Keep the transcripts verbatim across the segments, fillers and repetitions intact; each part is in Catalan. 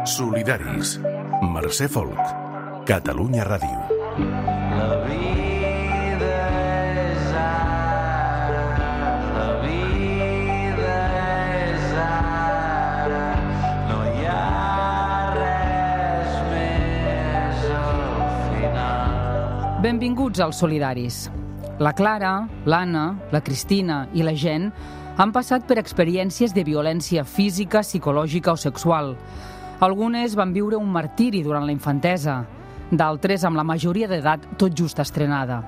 Solidaris. Mercè Folk. Catalunya Ràdio. La vida és ara, la vida és ara, no hi ha res més al final. Benvinguts als Solidaris. La Clara, l'Anna, la Cristina i la Jen han passat per experiències de violència física, psicològica o sexual. Algunes van viure un martiri durant la infantesa, d'altres amb la majoria d'edat tot just estrenada.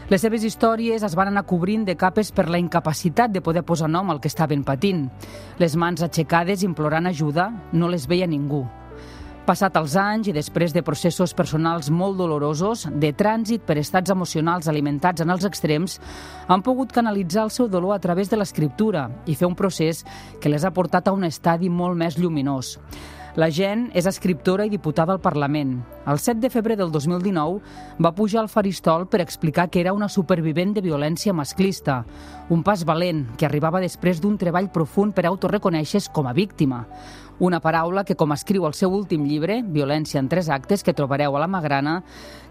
Les seves històries es van anar cobrint de capes per la incapacitat de poder posar nom al que estaven patint. Les mans aixecades implorant ajuda no les veia ningú. Passat els anys i després de processos personals molt dolorosos, de trànsit per estats emocionals alimentats en els extrems, han pogut canalitzar el seu dolor a través de l'escriptura i fer un procés que les ha portat a un estadi molt més lluminós. La Jen és escriptora i diputada al Parlament. El set de febrer del dos mil dinou va pujar al faristol per explicar que era una supervivent de violència masclista, un pas valent que arribava després d'un treball profund per autoreconèixer-se com a víctima. Una paraula que, com escriu el seu últim llibre, Violència en tres actes, que trobareu a la Magrana,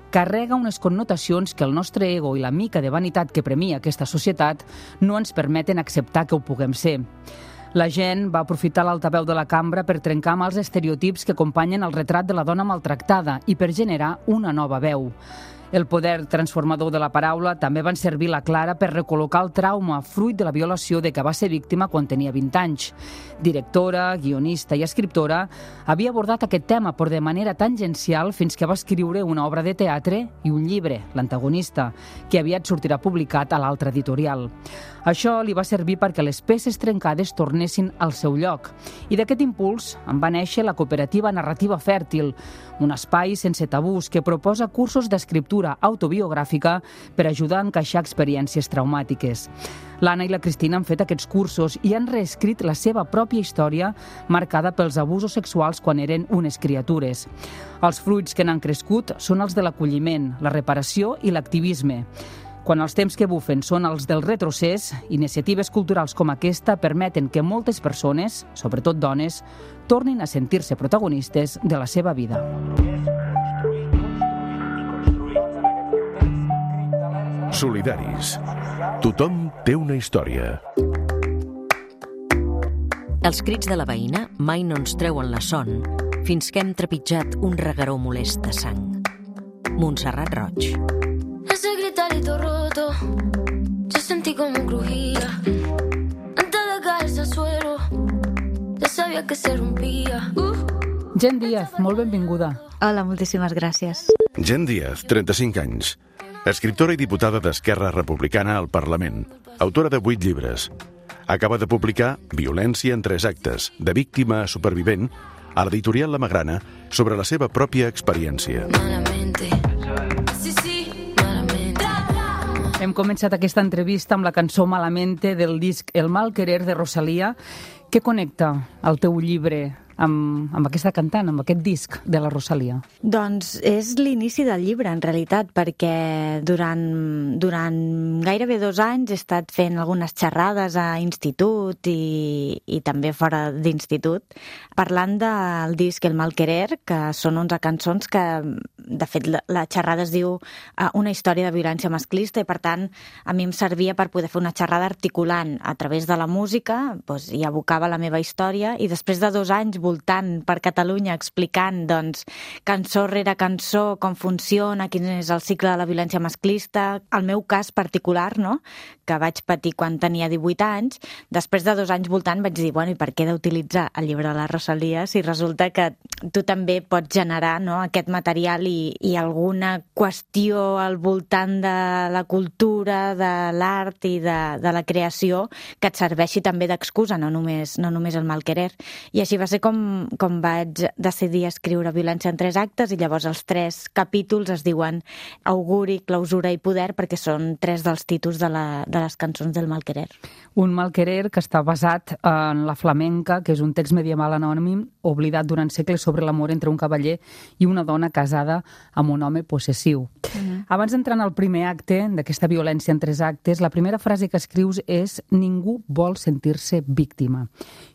carrega unes connotacions que el nostre ego i la mica de vanitat que premia aquesta societat no ens permeten acceptar que ho puguem ser. La Jen va aprofitar l'altaveu de la cambra per trencar amb els estereotips que acompanyen el retrat de la dona maltractada i per generar una nova veu. El poder transformador de la paraula també van servir la Clara per recol·locar el trauma fruit de la violació de què va ser víctima quan tenia vint anys. Directora, guionista i escriptora, havia abordat aquest tema però de manera tangencial fins que va escriure una obra de teatre i un llibre, L'antagonista, que aviat sortirà publicat a l'altra editorial. Això li va servir perquè les peces trencades tornessin al seu lloc. I d'aquest impuls en va néixer la cooperativa Narrativa Fèrtil, un espai sense tabús que proposa cursos d'escriptura autobiogràfica per ajudar a encaixar experiències traumàtiques. L'Anna i la Cristina han fet aquests cursos i han reescrit la seva pròpia història marcada pels abusos sexuals quan eren unes criatures. Els fruits que n'han crescut són els de l'acolliment, la reparació i l'activisme. Quan els temps que bufen són els del retrocés, iniciatives culturals com aquesta permeten que moltes persones, sobretot dones, tornin a sentir-se protagonistes de la seva vida. Solidaris. Tothom té una història. Els crits de la veïna mai no ens treuen la son fins que hem trepitjat un regueró molest de sang. Montserrat Roig. Ese gritarito roto, yo sentí como crujía. Antes de caerse al suelo, ya sabía que se rompía. Uh. Jen Díaz, molt benvinguda. Hola, moltíssimes gràcies. Jen Díaz, trenta-cinc anys. Escriptora i diputada d'Esquerra Republicana al Parlament. Autora de vuit llibres. Acaba de publicar Violència en tres actes, de víctima a supervivent, a l'editorial La Magrana, sobre la seva pròpia experiència. Malamente. Sí, sí, malamente. Hem començat aquesta entrevista amb la cançó Malamente del disc El mal querer de Rosalía. Què connecta el teu llibre amb, amb aquesta cantant, amb aquest disc de la Rosalía? Doncs és l'inici del llibre, en realitat, perquè durant, durant gairebé dos anys he estat fent algunes xerrades a institut i, i també fora d'institut, parlant del disc El mal querer, que són onze cançons que, de fet, la, la xerrada es diu Una història de violència masclista i, per tant, a mi em servia per poder fer una xerrada articulant a través de la música, doncs, i abocava la meva història, i després de dos anys voltant per Catalunya explicant doncs, cançó rere cançó com funciona, quin és el cicle de la violència masclista, el meu cas particular, no?, que vaig patir quan tenia divuit anys, després de dos anys voltant vaig dir, bueno, i per què d'utilitzar el llibre de la Rosalía si resulta que tu també pots generar, no?, aquest material i, i alguna qüestió al voltant de la cultura, de l'art i de, de la creació que et serveixi també d'excusa, no només, no només el mal querer. I així va ser com, com vaig decidir escriure Violència en tres actes, i llavors els tres capítols es diuen Auguri, Clausura i Poder, perquè són tres dels títols de, la, de les cançons del mal querer. Un mal querer que està basat en la flamenca, que és un text medieval anònim oblidat durant segles sobre l'amor entre un cavaller i una dona casada amb un home possessiu. Uh-huh. Abans d'entrar en el primer acte d'aquesta violència en tres actes, la primera frase que escrius és «Ningú vol sentir-se víctima».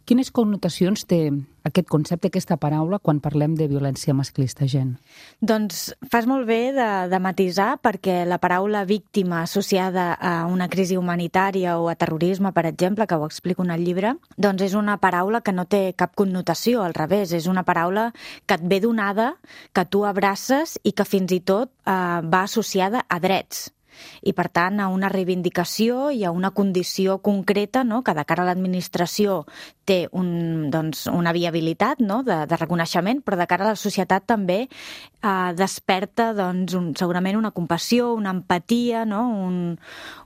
Quines connotacions té aquest concepte, aquesta paraula, quan parlem de violència masclista, gent? Doncs fas molt bé de, de matisar, perquè la paraula víctima associada a una crisi humanitària o a terrorisme, per exemple, que ho explico en el llibre, doncs és una paraula que no té cap connotació, al revés, és una paraula que et ve donada, que tu abraces i que fins i tot eh, va associada a drets. I, per tant, a una reivindicació i a una condició concreta, no?, que de cara a l'administració té un, doncs, una viabilitat, no?, de, de reconeixement, però de cara a la societat també eh, desperta doncs, un, segurament una compassió, una empatia, no?, un,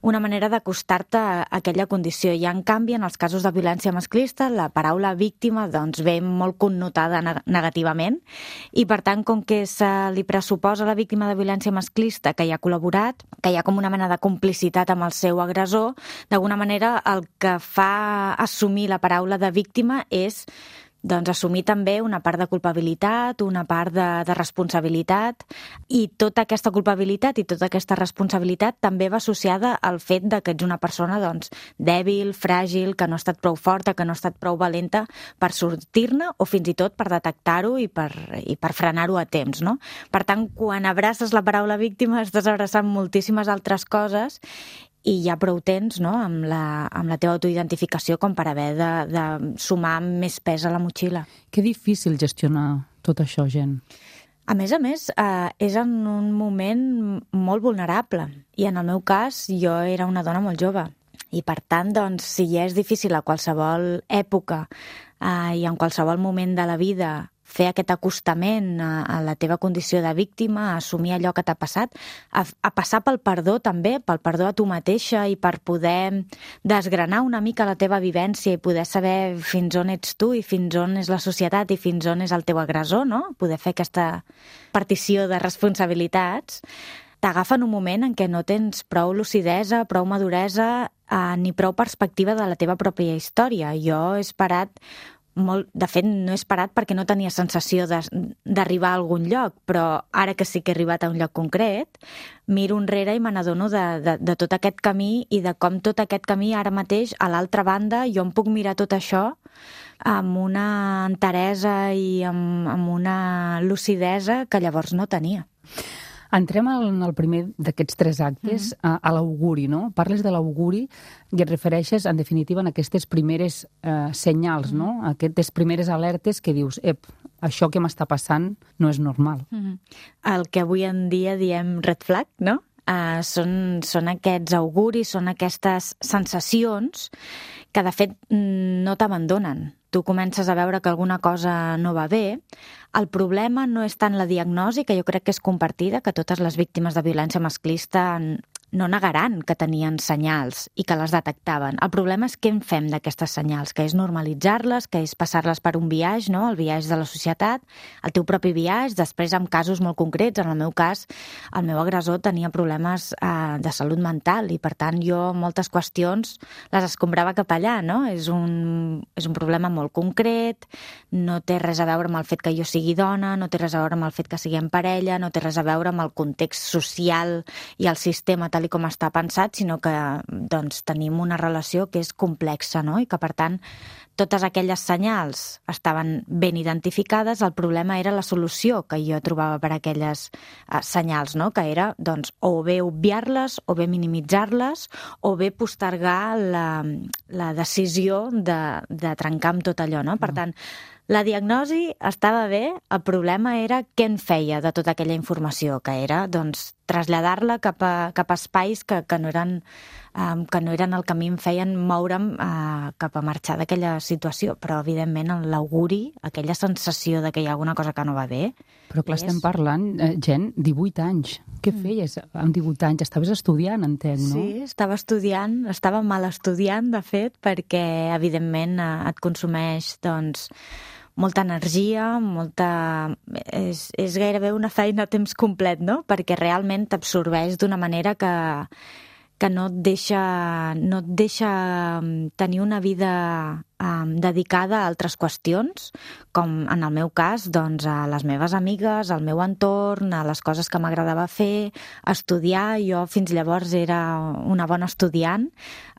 una manera d'acostar-te a aquella condició. I, en canvi, en els casos de violència masclista, la paraula víctima doncs, ve molt connotada negativament i, per tant, com que se li pressuposa a la víctima de violència masclista que hi ha col·laborat, que hi ha com una mena de complicitat amb el seu agressor, d'alguna manera el que fa assumir la paraula de víctima és doncs, assumir també una part de culpabilitat, una part de, de responsabilitat, i tota aquesta culpabilitat i tota aquesta responsabilitat també va associada al fet de que ets una persona doncs, dèbil, fràgil, que no ha estat prou forta, que no ha estat prou valenta per sortir-ne o fins i tot per detectar-ho i per, i per frenar-ho a temps. No? Per tant, quan abraces la paraula víctima estàs abraçant moltíssimes altres coses i ja prou temps, no?, amb la, amb la teva autoidentificació com per haver de, de sumar més pes a la motxilla. Que difícil gestionar tot això, gent. A més a més, eh, és en un moment molt vulnerable. I en el meu cas, jo era una dona molt jove. I per tant, doncs, si ja és difícil a qualsevol època eh, i en qualsevol moment de la vida fer aquest acostament a, a la teva condició de víctima, a assumir allò que t'ha passat, a, a passar pel perdó també, pel perdó a tu mateixa i per poder desgranar una mica la teva vivència i poder saber fins on ets tu i fins on és la societat i fins on és el teu agressor, no? Poder fer aquesta partició de responsabilitats, t'agafa en un moment en què no tens prou lucidesa, prou maduresa eh, ni prou perspectiva de la teva pròpia història. Jo he esperat molt, de fet, no he esperat perquè no tenia sensació d'arribar a algun lloc, però ara que sí que he arribat a un lloc concret, miro enrere i me n'adono de, de, de tot aquest camí i de com tot aquest camí ara mateix, a l'altra banda, jo em puc mirar tot això amb una enteresa i amb, amb una lucidesa que llavors no tenia. Entrem en el primer d'aquests tres actes, mm-hmm. a, a l'auguri, no? Parles de l'auguri i et refereixes, en definitiva, en aquestes primeres eh, senyals, mm-hmm. no? Aquestes primeres alertes que dius, ep, això que m'està passant no és normal. Mm-hmm. El que avui en dia diem red flag, no? Uh, són, són aquests auguris, són aquestes sensacions que, de fet, no t'abandonen. Tu comences a veure que alguna cosa no va bé. El problema no és tant la diagnosi, que jo crec que és compartida, que totes les víctimes de violència masclista no negaran que tenien senyals i que les detectaven. El problema és què en fem d'aquestes senyals, que és normalitzar-les, que és passar-les per un biaix, no? El biaix de la societat, el teu propi biaix, després amb casos molt concrets. En el meu cas, el meu agressor tenia problemes eh, de salut mental i, per tant, jo moltes qüestions les escombrava cap allà, no? És un, és un problema molt concret, no té res a veure amb el fet que jo sigui dona, no té res a veure amb el fet que siguem parella, no té res a veure amb el context social i el sistema tal i com està pensat, sinó que doncs, tenim una relació que és complexa, no? I que, per tant, totes aquelles senyals estaven ben identificades. El problema era la solució que jo trobava per a aquelles eh, senyals, no? Que era doncs, o bé obviar-les, o bé minimitzar-les, o bé postergar la, la decisió de, de trencar amb tot allò, no? Per tant, la diagnosi estava bé, el problema era què en feia de tota aquella informació, que era doncs, traslladar-la cap a, cap a espais que, que, no eren, um, que no eren el que a mi em feien moure'm uh, cap a marxar d'aquella situació. Però, evidentment, l'auguri, aquella sensació de que hi ha alguna cosa que no va bé... Però clar, és... estem parlant, eh, gent, divuit anys. Què mm. feies amb divuit anys? Estaves estudiant, entenc, no? Sí, estava estudiant, estava mal estudiant, de fet, perquè, evidentment, et consumeix, doncs, molta energia, molta... És, és gairebé una feina a temps complet, no? Perquè realment t'absorbeix d'una manera que, que no et deixa, no et deixa tenir una vida um, dedicada a altres qüestions, com en el meu cas, doncs, a les meves amigues, al meu entorn, a les coses que m'agradava fer, estudiar. Jo fins llavors era una bona estudiant.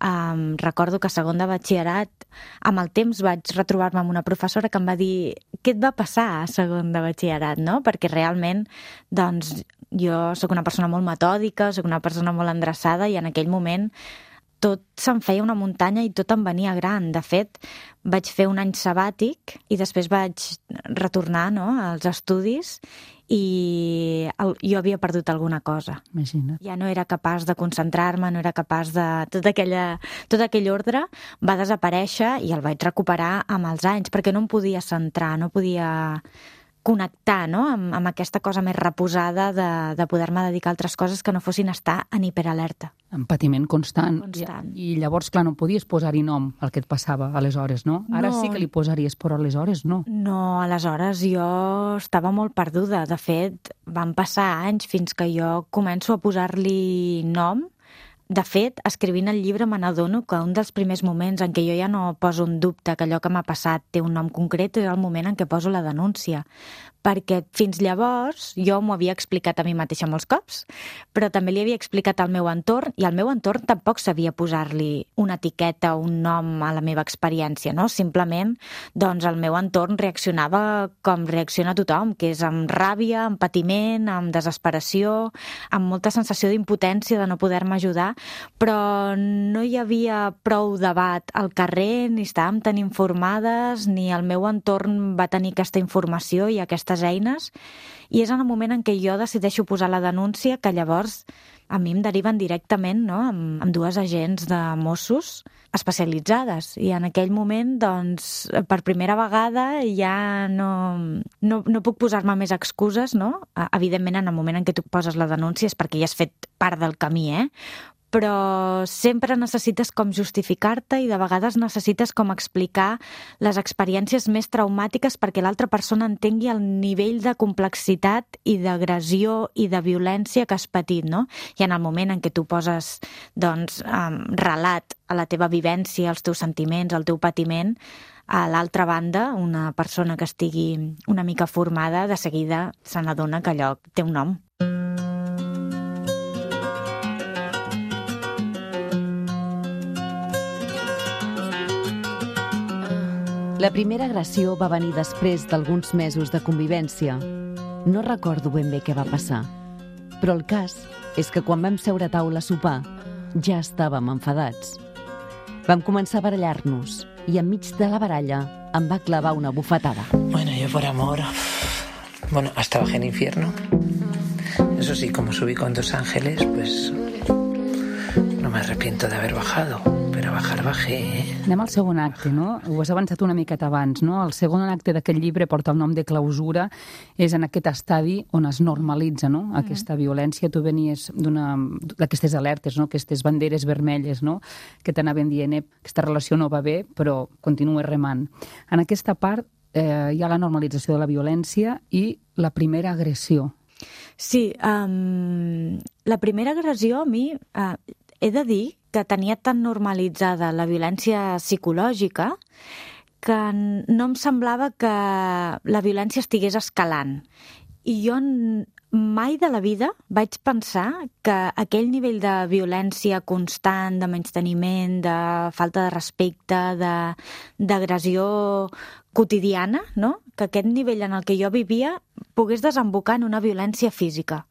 Um, recordo que a segon de batxillerat, amb el temps vaig retrobar-me amb una professora que em va dir què et va passar a segon de batxillerat, no? Perquè realment, doncs, jo sóc una persona molt metòdica, sóc una persona molt endreçada i en aquell moment tot se'm feia una muntanya i tot em venia gran. De fet, vaig fer un any sabàtic i després vaig retornar, no?, als estudis i el, jo havia perdut alguna cosa. Imagina't. Ja no era capaç de concentrar-me, no era capaç de... Tot, aquella, tot aquell ordre va desaparèixer i el vaig recuperar amb els anys, perquè no em podia centrar, no podia connectar, no?, amb, amb aquesta cosa més reposada de, de poder-me dedicar a altres coses que no fossin estar en hiperalerta. En patiment constant. Constant. I, I llavors, clar, no podies posar-hi nom al que et passava aleshores, no? Ara No. sí que li posaries, però aleshores no. No, aleshores jo estava molt perduda. De fet, van passar anys fins que jo començo a posar-li nom. De fet, escrivint el llibre me n'adono que un dels primers moments en què jo ja no poso en dubte que allò que m'ha passat té un nom concret és el moment en què poso la denúncia. Perquè fins llavors jo m'ho havia explicat a mi mateixa molts cops, però també li havia explicat al meu entorn i el meu entorn tampoc sabia posar-li una etiqueta, un nom a la meva experiència, no? Simplement, doncs, el meu entorn reaccionava com reacciona tothom, que és amb ràbia, amb patiment, amb desesperació, amb molta sensació d'impotència de no poder-me ajudar, però no hi havia prou debat al carrer, ni estàvem tan informades, ni el meu entorn va tenir aquesta informació i aquestes eines, i és en el moment en què jo decideixo posar la denúncia que llavors a mi em deriven directament, no?, amb, amb dues agents de Mossos especialitzades, i en aquell moment, doncs, per primera vegada ja no, no, no puc posar-me més excuses, no? Evidentment, en el moment en què tu poses la denúncia és perquè ja has fet part del camí, eh? Però sempre necessites com justificar-te i de vegades necessites com explicar les experiències més traumàtiques perquè l'altra persona entengui el nivell de complexitat i d'agressió i de violència que has patit, no? I en el moment en què tu poses, doncs, um, relat a la teva vivència, als teus sentiments, al teu patiment, a l'altra banda, una persona que estigui una mica formada, de seguida se n'adona que allò té un nom. La primera agressió va venir després d'alguns mesos de convivència. No recordo ben bé què va passar, però el cas és que quan vam seure a taula a sopar ja estàvem enfadats. Vam començar a barallar-nos i enmig de la baralla em va clavar una bufetada. Bueno, yo por amor... Bueno, hasta bajé en infierno. Eso sí, como subí con dos ángeles, pues... No me arrepiento de haber bajado, pero bajar bajé, eh? Anem al segon acte, no? Ho has avançat una miqueta abans, no? El segon acte d'aquest llibre porta el nom de Clausura, és en aquest estadi on es normalitza, no?, mm-hmm. aquesta violència. Tu venies d'una d'aquestes alertes, no?, aquestes banderes vermelles, no?, que t'anaven dient, eh, aquesta relació no va bé, però continues remant. En aquesta part eh, hi ha la normalització de la violència i la primera agressió. Sí, um, la primera agressió a mi... Uh, he de dir que tenia tan normalitzada la violència psicològica que no em semblava que la violència estigués escalant. I jo mai de la vida vaig pensar que aquell nivell de violència constant, de menysteniment, de falta de respecte, de, d'agressió quotidiana, no?, que aquest nivell en el que jo vivia pogués desembocar en una violència física.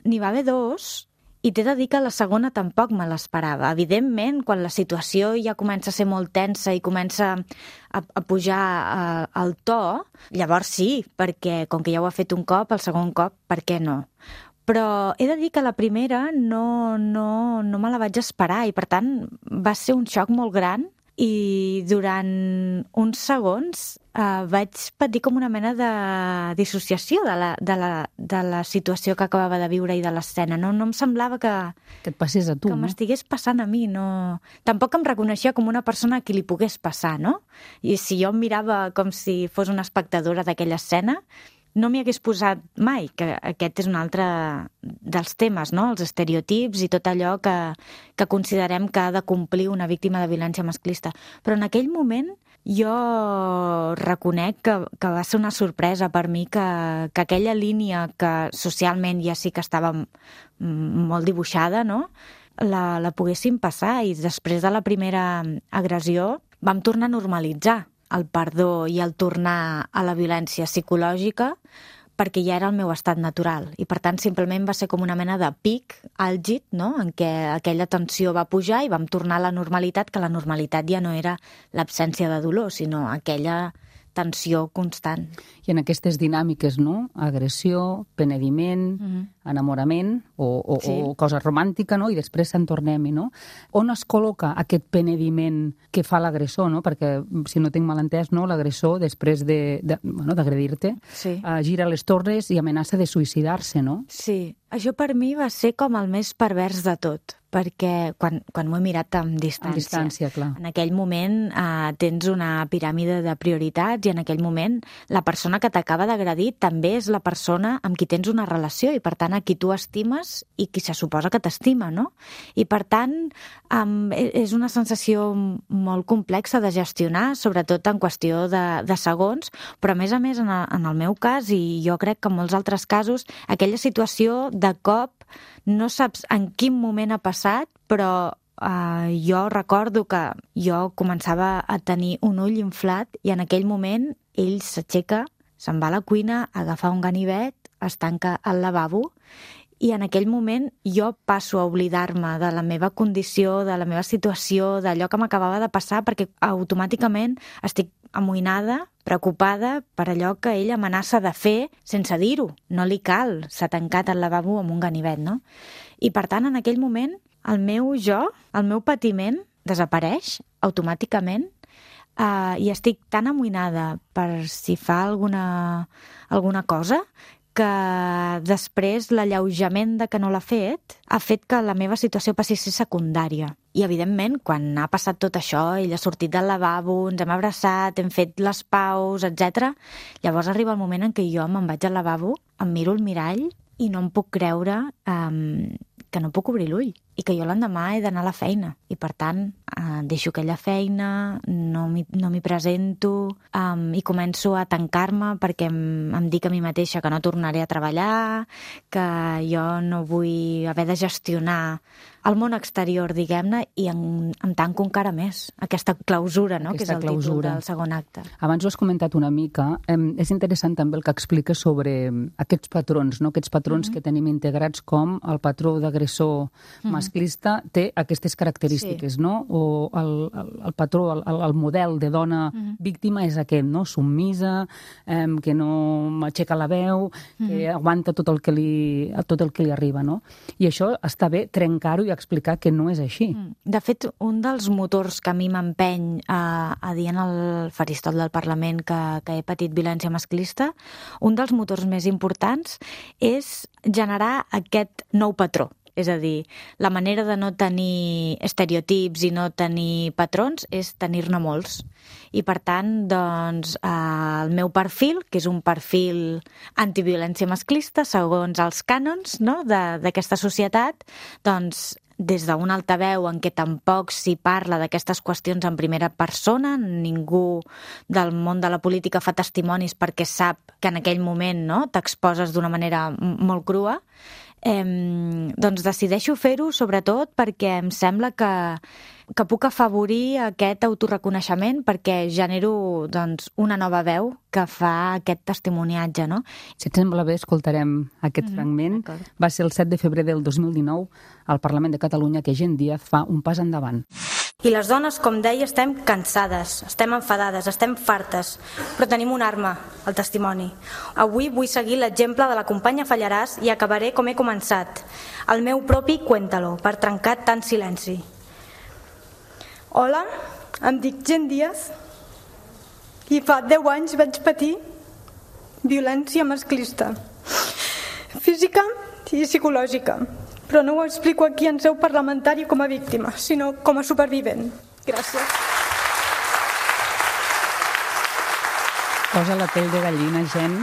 N'hi va haver dos... I t'he de dir que la segona tampoc me l'esperava. Evidentment, quan la situació ja comença a ser molt tensa i comença a, a pujar a, al to, llavors sí, perquè com que ja ho ha fet un cop, el segon cop, per què no? Però he de dir que la primera no, no, no me la vaig esperar i, per tant, va ser un xoc molt gran i durant uns segons eh, vaig patir com una mena de dissociació de la, de la, de la situació que acabava de viure i de l'escena. No, no em semblava que, Que et passés a tu, que no? m'estigués passant a mi. No... Tampoc em reconeixia com una persona a qui li pogués passar, no? I si jo em mirava com si fos una espectadora d'aquella escena, no m'hi hagués posat mai, que aquest és un altre dels temes, no?, els estereotips i tot allò que, que considerem que ha de complir una víctima de violència masclista. Però en aquell moment jo reconec que, que va ser una sorpresa per mi que, que aquella línia que socialment ja sí que estava molt dibuixada, no? la, la poguéssim passar, i després de la primera agressió vam tornar a normalitzar el perdó i el tornar a la violència psicològica, perquè ja era el meu estat natural. I, per tant, simplement va ser com una mena de pic àlgid, no?, en què aquella tensió va pujar i vam tornar a la normalitat, que la normalitat ja no era l'absència de dolor, sinó aquella tensió constant. I en aquestes dinàmiques, no?, agressió, penediment, mm-hmm. enamorament o, o, sí. o cosa romàntica, no?, i després se'n tornem-hi, no? On es col·loca aquest penediment que fa l'agressor, no? Perquè, si no tinc mal entès, no?, l'agressor, després de, de, bueno, d'agredir-te, sí. uh, gira les torres i amenaça de suïcidar-se, no? Sí. Això per mi va ser com el més pervers de tot, perquè quan, quan m'ho he mirat amb distància, amb distància, clar. En aquell moment eh, tens una piràmide de prioritats, i en aquell moment la persona que t'acaba d'agredir també és la persona amb qui tens una relació, i per tant a qui tu estimes i qui se suposa que t'estima, no? I per tant um, és una sensació molt complexa de gestionar, sobretot en qüestió de, de segons, però a més a més en el, en el meu cas, i jo crec que en molts altres casos, aquella situació de cop no saps en quin moment ha passat, però eh, jo recordo que jo començava a tenir un ull inflat, i en aquell moment ell s'aixeca, se'n va a la cuina, agafa un ganivet, es tanca al lavabo, i en aquell moment jo passo a oblidar-me de la meva condició, de la meva situació, d'allò que m'acabava de passar, perquè automàticament estic amoïnada, preocupada per allò que ell amenaça de fer sense dir-ho. No li cal, s'ha tancat al lavabo amb un ganivet, no? I per tant, en aquell moment, el meu jo, el meu patiment, desapareix automàticament, eh, i estic tan amoïnada per si fa alguna, alguna cosa, que després l'alleujament de que no l'ha fet ha fet que la meva situació passi a ser secundària. I, evidentment, quan ha passat tot això, ell ha sortit del lavabo, ens hem abraçat, hem fet les paus, etcètera, llavors arriba el moment en què jo me'n vaig al lavabo, em miro al mirall i no em puc creure um, que no puc obrir l'ull, i que jo l'endemà he d'anar a la feina. I, per tant, eh, deixo aquella feina, no m'hi, no m'hi presento, um, i començo a tancar-me perquè em, em dic a mi mateixa que no tornaré a treballar, que jo no vull haver de gestionar el món exterior, diguem-ne, i em, em tanco encara més. Aquesta clausura, no?, Aquesta que és el clausura. títol del segon acte. Abans ho has comentat una mica. Eh, és interessant també el que expliques sobre aquests patrons, no?, aquests patrons mm-hmm. que tenim integrats, com el patró d'agressor mm-hmm. masclista té aquestes característiques, sí. no? O el, el, el patró, el, el model de dona mm-hmm. víctima és aquest, no?, submisa, eh, que no m'aixeca la veu, mm-hmm. que aguanta tot el que li, tot el que li arriba, no? I això està bé trencar-ho i explicar que no és així. De fet, un dels motors que a mi m'empeny a, a dir en el faristol del Parlament que, que he patit violència masclista, un dels motors més importants és generar aquest nou patró. És a dir, la manera de no tenir estereotips i no tenir patrons és tenir-ne molts. I, per tant, doncs, el meu perfil, que és un perfil antiviolència masclista, segons els cànons, no?, de, d'aquesta societat, doncs, des d'un altaveu en què tampoc s'hi parla d'aquestes qüestions en primera persona, ningú del món de la política fa testimonis perquè sap que en aquell moment, no?, t'exposes d'una manera molt crua, eh, doncs decideixo fer-ho sobretot perquè em sembla que, que puc afavorir aquest autorreconeixement, perquè genero, doncs, una nova veu que fa aquest testimoniatge, no? Si et sembla bé, escoltarem aquest mm-hmm. fragment. D'acord. Va ser el set de febrer del dos mil dinou al Parlament de Catalunya que Gent Díaz fa un pas endavant. I les dones, com deia, estem cansades, estem enfadades, estem fartes, però tenim una arma, el testimoni. Avui vull seguir l'exemple de la companya Fallaràs i acabaré com he començat, el meu propi Cuéntalo, per trencar tant silenci. Hola, em dic Gent Díaz i fa deu anys vaig patir violència masclista, física i psicològica. Però no ho explico aquí en seu parlamentària com a víctima, sinó com a supervivent. Gràcies. Posa la pell de gallina, gent.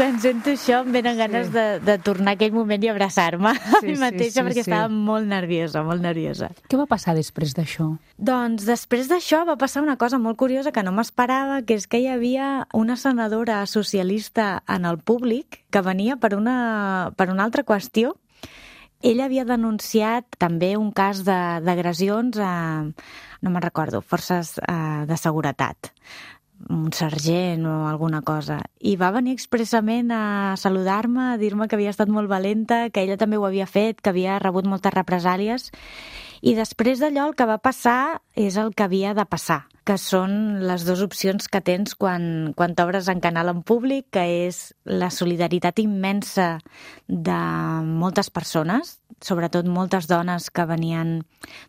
quan sento això em venen ganes Sí. de, de tornar a aquell moment i abraçar-me a Sí, mi sí, mateixa sí, perquè sí. estava molt nerviosa, molt nerviosa. Què va passar després d'això? Doncs després d'això va passar una cosa molt curiosa que no m'esperava, que és que hi havia una senadora socialista en el públic que venia per una, per una altra qüestió. Ella havia denunciat també un cas de- d'agressions a, no me'n recordo, forces eh, de seguretat, un sergent o alguna cosa. I va venir expressament a saludar-me, a dir-me que havia estat molt valenta, que ella també ho havia fet, que havia rebut moltes represàlies. I després d'allò el que va passar és el que havia de passar, que són les dues opcions que tens quan, quan t'obres en canal en públic, que és la solidaritat immensa de moltes persones, sobretot moltes dones que venien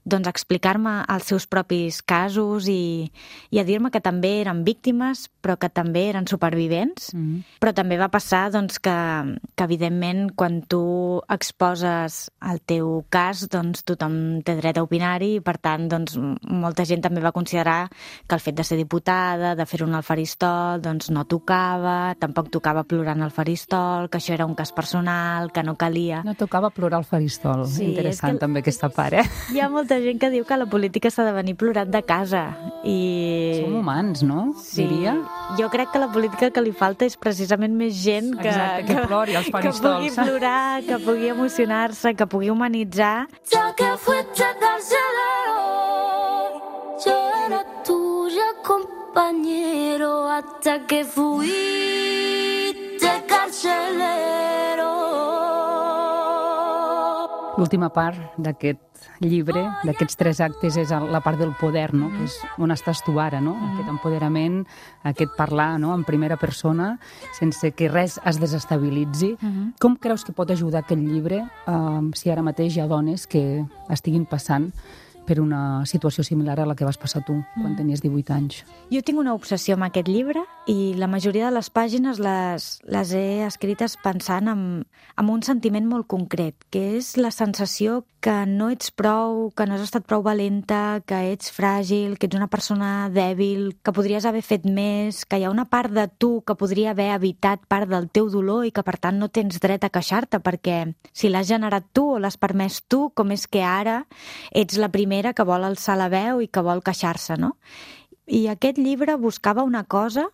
doncs, a explicar-me els seus propis casos i, i a dir-me que també eren víctimes, però que també eren supervivents. Mm. Però també va passar doncs, que, que, evidentment, quan tu exposes el teu cas, doncs, tothom té dret a opinar-hi i, per tant, doncs, molta gent també va considerar que el fet de ser diputada, de fer-ho al faristol, doncs no tocava, tampoc tocava plorar en el faristol, que això era un cas personal, que no calia. No tocava plorar al faristol. Sí, Interessant és que- també aquesta part, eh? Hi ha molta gent que diu que la política s'ha de venir plorant de casa. I... Som humans, no? Sí, Diria. jo crec que la política que li falta és precisament més gent que, Exacte, que plori als que pugui faristols. plorar, que pugui emocionar-se, que pugui humanitzar. Ya que fuiste carcelero, yo era tuya compañero hasta que fuiste carcelero. L'última part d'aquest llibre, d'aquests tres actes, és la part del poder, no? Que és on estàs tu ara, no? Aquest empoderament, aquest parlar, no? En primera persona, sense que res es desestabilitzi. Com creus que pot ajudar aquest llibre eh, si ara mateix hi ha dones que estiguin passant per una situació similar a la que vas passar tu quan tenies divuit anys? Jo tinc una obsessió amb aquest llibre i la majoria de les pàgines les, les he escrites pensant en, en un sentiment molt concret, que és la sensació que no ets prou, que no has estat prou valenta, que ets fràgil, que ets una persona dèbil, que podries haver fet més, que hi ha una part de tu que podria haver evitat part del teu dolor i que, per tant, no tens dret a queixar-te, perquè si l'has generat tu o l'has permès tu, com és que ara ets la primera que vol alçar la veu i que vol queixar-se, no? I aquest llibre buscava una cosa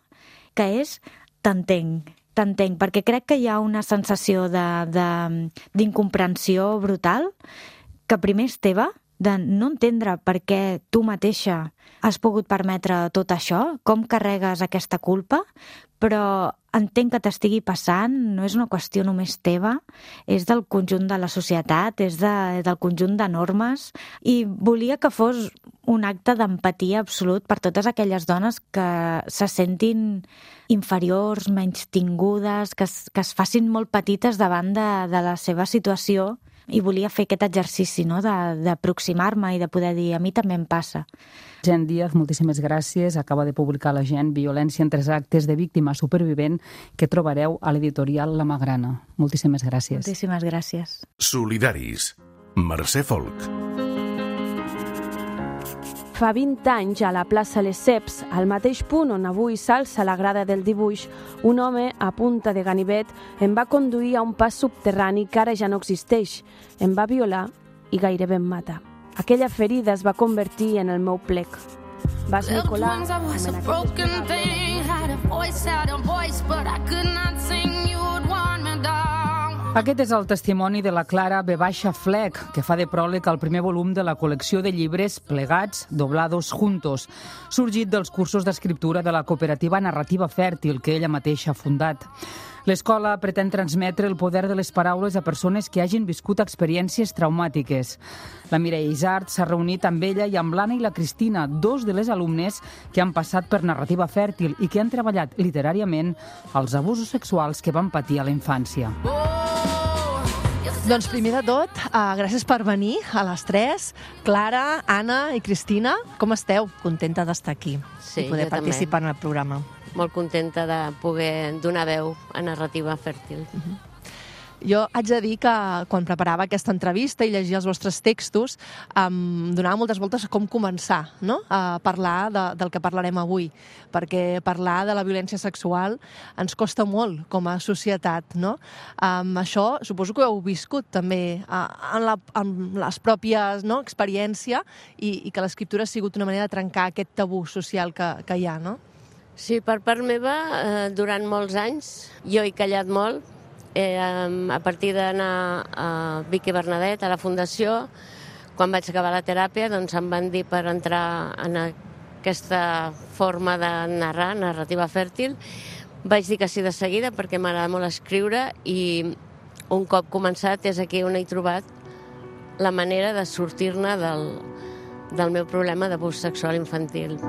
que és t'entenc, t'entenc, perquè crec que hi ha una sensació de- de- d'incomprensió brutal, que primer és teva, de no entendre per què tu mateixa has pogut permetre tot això, com carregues aquesta culpa, però entenc que t'estigui passant, no és una qüestió només teva, és del conjunt de la societat, és de, del conjunt de normes, i volia que fos un acte d'empatia absolut per totes aquelles dones que se sentin inferiors, menystingudes, que es, que es facin molt petites davant de, de la seva situació, i volia fer aquest exercici, no?, de- d'aproximar-me i de poder dir, a mi també em passa. Gent Díaz, moltíssimes gràcies. Acaba de publicar la Gent Violència en tres actes de víctima supervivent, que trobareu a l'editorial La Magrana. Moltíssimes gràcies. Moltíssimes gràcies. Solidaris. Mercè Folk. Fa vint anys, a la plaça Les Ceps, al mateix punt on avui s'alça la grada del dibuix, un home a punta de ganivet em va conduir a un pas subterrani que ara ja no existeix. Em va violar i gairebé em mata. Aquella ferida es va convertir en el meu plec. Va esmicolar Wings, I was com a en broken aquest thing. Had a voice, had a voice, but I could not sing. You would want me down. Aquest és el testimoni de la Clara B. Fleck, que fa de pròleg al primer volum de la col·lecció de llibres Plegats, doblados juntos, sorgit dels cursos d'escriptura de la cooperativa Narrativa Fèrtil, que ella mateixa ha fundat. L'escola pretén transmetre el poder de les paraules a persones que hagin viscut experiències traumàtiques. La Mireia Isart s'ha reunit amb ella i amb l'Anna i la Cristina, dos de les alumnes que han passat per Narrativa Fèrtil i que han treballat literàriament els abusos sexuals que van patir a la infància. Doncs primer de tot, uh, gràcies per venir a les tres. Clara, Anna i Cristina, com esteu? Contenta d'estar aquí Sí, i poder jo també. participar en el programa. Molt contenta de poder donar veu a Narrativa Fèrtil. Jo haig de dir que quan preparava aquesta entrevista i llegia els vostres textos em donava moltes voltes a com començar, no?, a parlar de, del que parlarem avui, perquè parlar de la violència sexual ens costa molt com a societat, no? Um, això suposo que ho heu viscut també uh, en, la, en les pròpies, no?, experiència i, i que l'escriptura ha sigut una manera de trencar aquest tabú social que, que hi ha, no? Sí, per part meva, eh, durant molts anys, jo he callat molt. Eh, a partir d'anar a Vic i Bernadet, a la Fundació, quan vaig acabar la teràpia, doncs em van dir per entrar en aquesta forma de narrar, narrativa fèrtil. Vaig dir que sí de seguida perquè m'agrada molt escriure i un cop començat és aquí on he trobat la manera de sortir-ne del, del meu problema d'abús sexual infantil.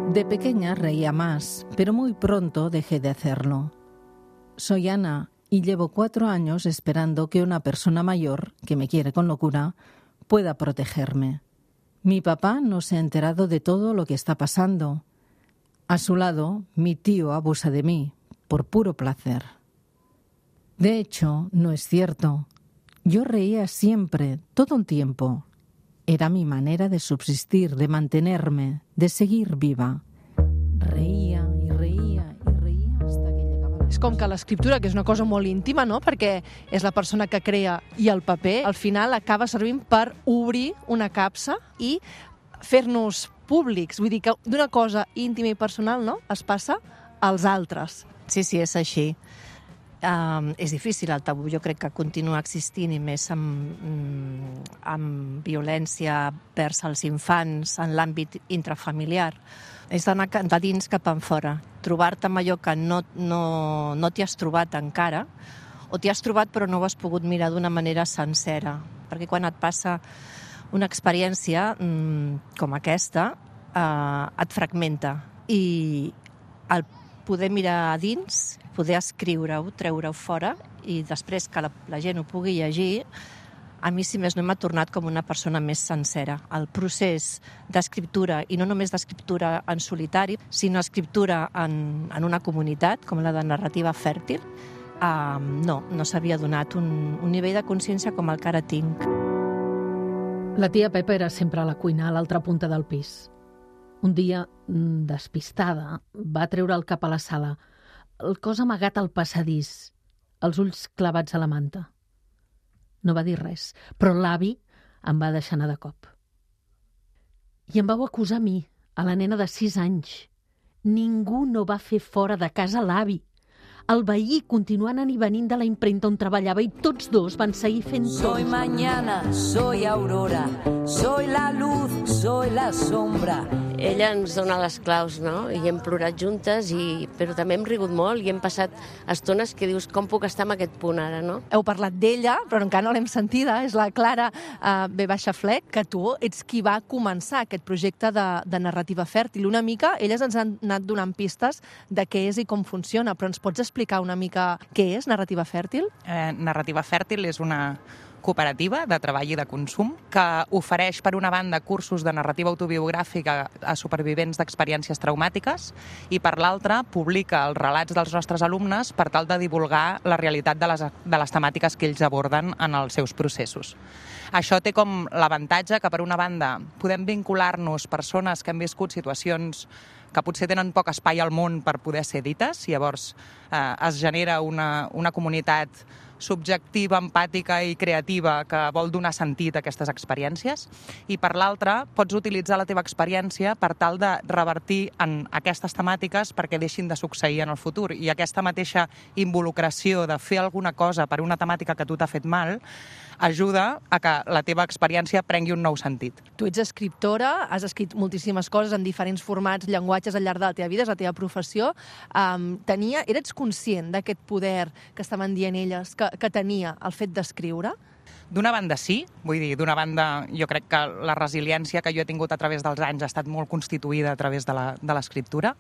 De pequeña reía más, pero muy pronto dejé de hacerlo. Soy Ana y llevo cuatro años esperando que una persona mayor, que me quiere con locura, pueda protegerme. Mi papá no se ha enterado de todo lo que está pasando. A su lado, mi tío abusa de mí, por puro placer. De hecho, no es cierto. Yo reía siempre, todo el tiempo. Era mi manera de subsistir, de mantenerme, de seguir viva. Reía i reía i reía hasta que llegaba... És com que l'escriptura, que és una cosa molt íntima, no?, perquè és la persona que crea i el paper, al final acaba servint per obrir una capsa i fer-nos públics. Vull dir que d'una cosa íntima i personal, no?, es passa als altres. Sí, sí, és així. Um, és difícil el tabú, jo crec que continua existint i més amb, amb violència vers els infants en l'àmbit intrafamiliar. És d'anar de dins cap enfora, trobar-te amb allò que no, no, no t'hi has trobat encara, o t'hi has trobat però no ho has pogut mirar d'una manera sencera, perquè quan et passa una experiència mm, com aquesta, eh, et fragmenta, i el poder mirar a dins, poder escriure-ho, treure-ho fora i després que la, la gent ho pugui llegir, a mi, si més no, m'ha tornat com una persona més sencera. El procés d'escriptura, i no només d'escriptura en solitari, sinó escriptura en, en una comunitat, com la de narrativa fèrtil, eh, no, no s'havia donat un, un nivell de consciència com el que ara tinc. La tia Pepa era sempre a la cuina, a l'altra punta del pis. Un dia, despistada, va treure el cap a la sala, el cos amagat al passadís, els ulls clavats a la manta. No va dir res, però l'avi em va deixar anar de cop. I em vau acusar a mi, a la nena de sis anys. Ningú no va fer fora de casa l'avi. El veí continuant anant i venint de la impremta on treballava i tots dos van seguir fent tot. Soy mañana, soy aurora, soy la luz, soy la sombra. Ella ens dona les claus, no? I hem plorat juntes, i... però també hem rigut molt i hem passat estones que dius, com puc estar en aquest punt ara, no? Heu parlat d'ella, però encara no l'hem sentida, és la Clara uh, B. Fleck, que tu ets qui va començar aquest projecte de, de narrativa fèrtil. Una mica, elles ens han anat donant pistes de què és i com funciona, però ens pots explicar una mica què és narrativa fèrtil? Eh, narrativa fèrtil és una cooperativa de treball i de consum que ofereix, per una banda, cursos de narrativa autobiogràfica a supervivents d'experiències traumàtiques i, per l'altra, publica els relats dels nostres alumnes per tal de divulgar la realitat de les, de les temàtiques que ells aborden en els seus processos. Això té com l'avantatge que, per una banda, podem vincular-nos persones que han viscut situacions que potser tenen poc espai al món per poder ser dites, i llavors eh, es genera una, una comunitat subjectiva, empàtica i creativa que vol donar sentit a aquestes experiències, i per l'altra pots utilitzar la teva experiència per tal de revertir en aquestes temàtiques perquè deixin de succeir en el futur, i aquesta mateixa involucració de fer alguna cosa per una temàtica que a tu t'ha fet mal ajuda a que la teva experiència prengui un nou sentit. Tu ets escriptora, has escrit moltíssimes coses en diferents formats, llenguatges al llarg de la teva vida, és la teva professió. Um, tenia, eres conscient d'aquest poder que estaven dient elles que, que tenia el fet d'escriure? D'una banda sí, vull dir, d'una banda jo crec que la resiliència que jo he tingut a través dels anys ha estat molt constituïda a través de la, de l'escriptura,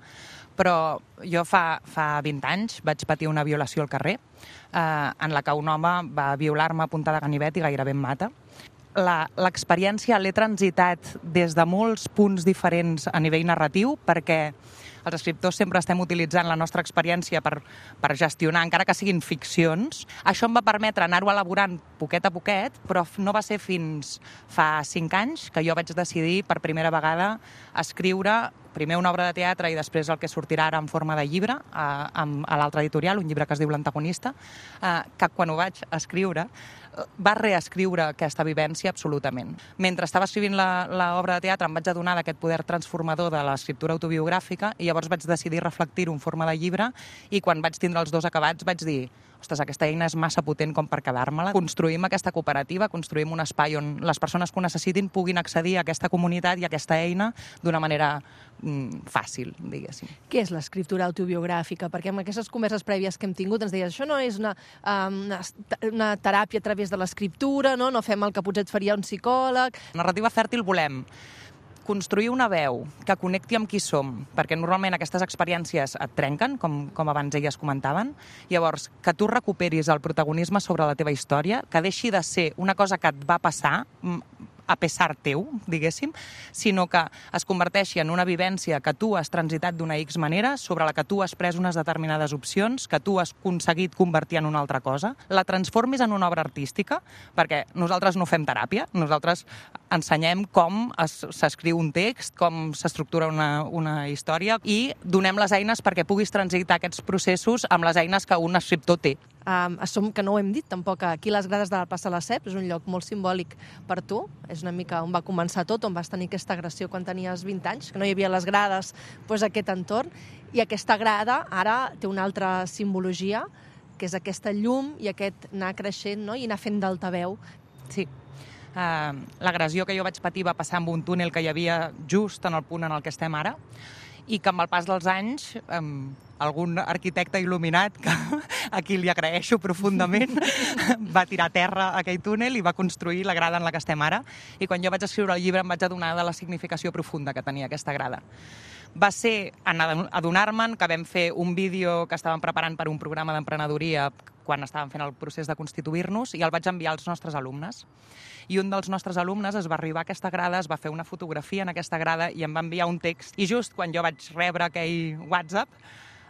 però jo fa, fa vint anys vaig patir una violació al carrer, eh, en la que un home va violar-me a punta de ganivet i gairebé em mata. L'experiència l'he transitat des de molts punts diferents a nivell narratiu, perquè els escriptors sempre estem utilitzant la nostra experiència per, per gestionar, encara que siguin ficcions. Això em va permetre anar-ho elaborant poquet a poquet, però no va ser fins fa cinc anys que jo vaig decidir per primera vegada escriure primer una obra de teatre i després el que sortirà ara en forma de llibre a, a l'altre editorial, un llibre que es diu L'Antagonista, eh, que quan ho vaig escriure va reescriure aquesta vivència absolutament. Mentre estava escrivint l'obra de teatre em vaig adonar d'aquest poder transformador de l'escriptura autobiogràfica i llavors vaig decidir reflectir-ho en forma de llibre i quan vaig tindre els dos acabats vaig dir ostres, aquesta eina és massa potent com per quedar-me-la. Construïm aquesta cooperativa, construïm un espai on les persones que ho necessitin puguin accedir a aquesta comunitat i a aquesta eina d'una manera mm, fàcil, diguéssim. Què és l'escriptura autobiogràfica? Perquè amb aquestes converses prèvies que hem tingut ens deies això no és una, um, una, una teràpia a través de l'escriptura, no? No fem el que potser et faria un psicòleg. Narrativa fèrtil volem construir una veu que connecti amb qui som, perquè normalment aquestes experiències et trenquen, com, com abans elles comentaven. Llavors, que tu recuperis el protagonisme sobre la teva història, que deixi de ser una cosa que et va passar a pesar teu, diguéssim, sinó que es converteixi en una vivència que tu has transitat d'una X manera, sobre la que tu has pres unes determinades opcions, que tu has aconseguit convertir en una altra cosa, la transformis en una obra artística, perquè nosaltres no fem teràpia, nosaltres ensenyem com s'escriu un text, com s'estructura una, una història i donem les eines perquè puguis transitar aquests processos amb les eines que un escriptor té. Um, som, que no ho hem dit tampoc, aquí les grades de la plaça Lesseps és un lloc molt simbòlic per tu, és una mica on va començar tot, on vas tenir aquesta agressió quan tenies vint anys, que no hi havia les grades, doncs aquest entorn, i aquesta grada ara té una altra simbologia, que és aquesta llum i aquest anar creixent, no? I anar fent d'altaveu. Sí. Uh, l'agressió que jo vaig patir va passar amb un túnel que hi havia just en el punt en el que estem ara, i que amb el pas dels anys um, algun arquitecte il·luminat, que a qui li agraeixo profundament, va tirar a terra aquell túnel i va construir la grada en la que estem ara. I quan jo vaig escriure el llibre em vaig adonar de la significació profunda que tenia aquesta grada. Va ser en adonar-me'n que vam fer un vídeo que estàvem preparant per un programa d'emprenedoria quan estàvem fent el procés de constituir-nos i el vaig enviar als nostres alumnes. I un dels nostres alumnes es va arribar a aquesta grada, es va fer una fotografia en aquesta grada i em va enviar un text. I just quan jo vaig rebre aquell WhatsApp,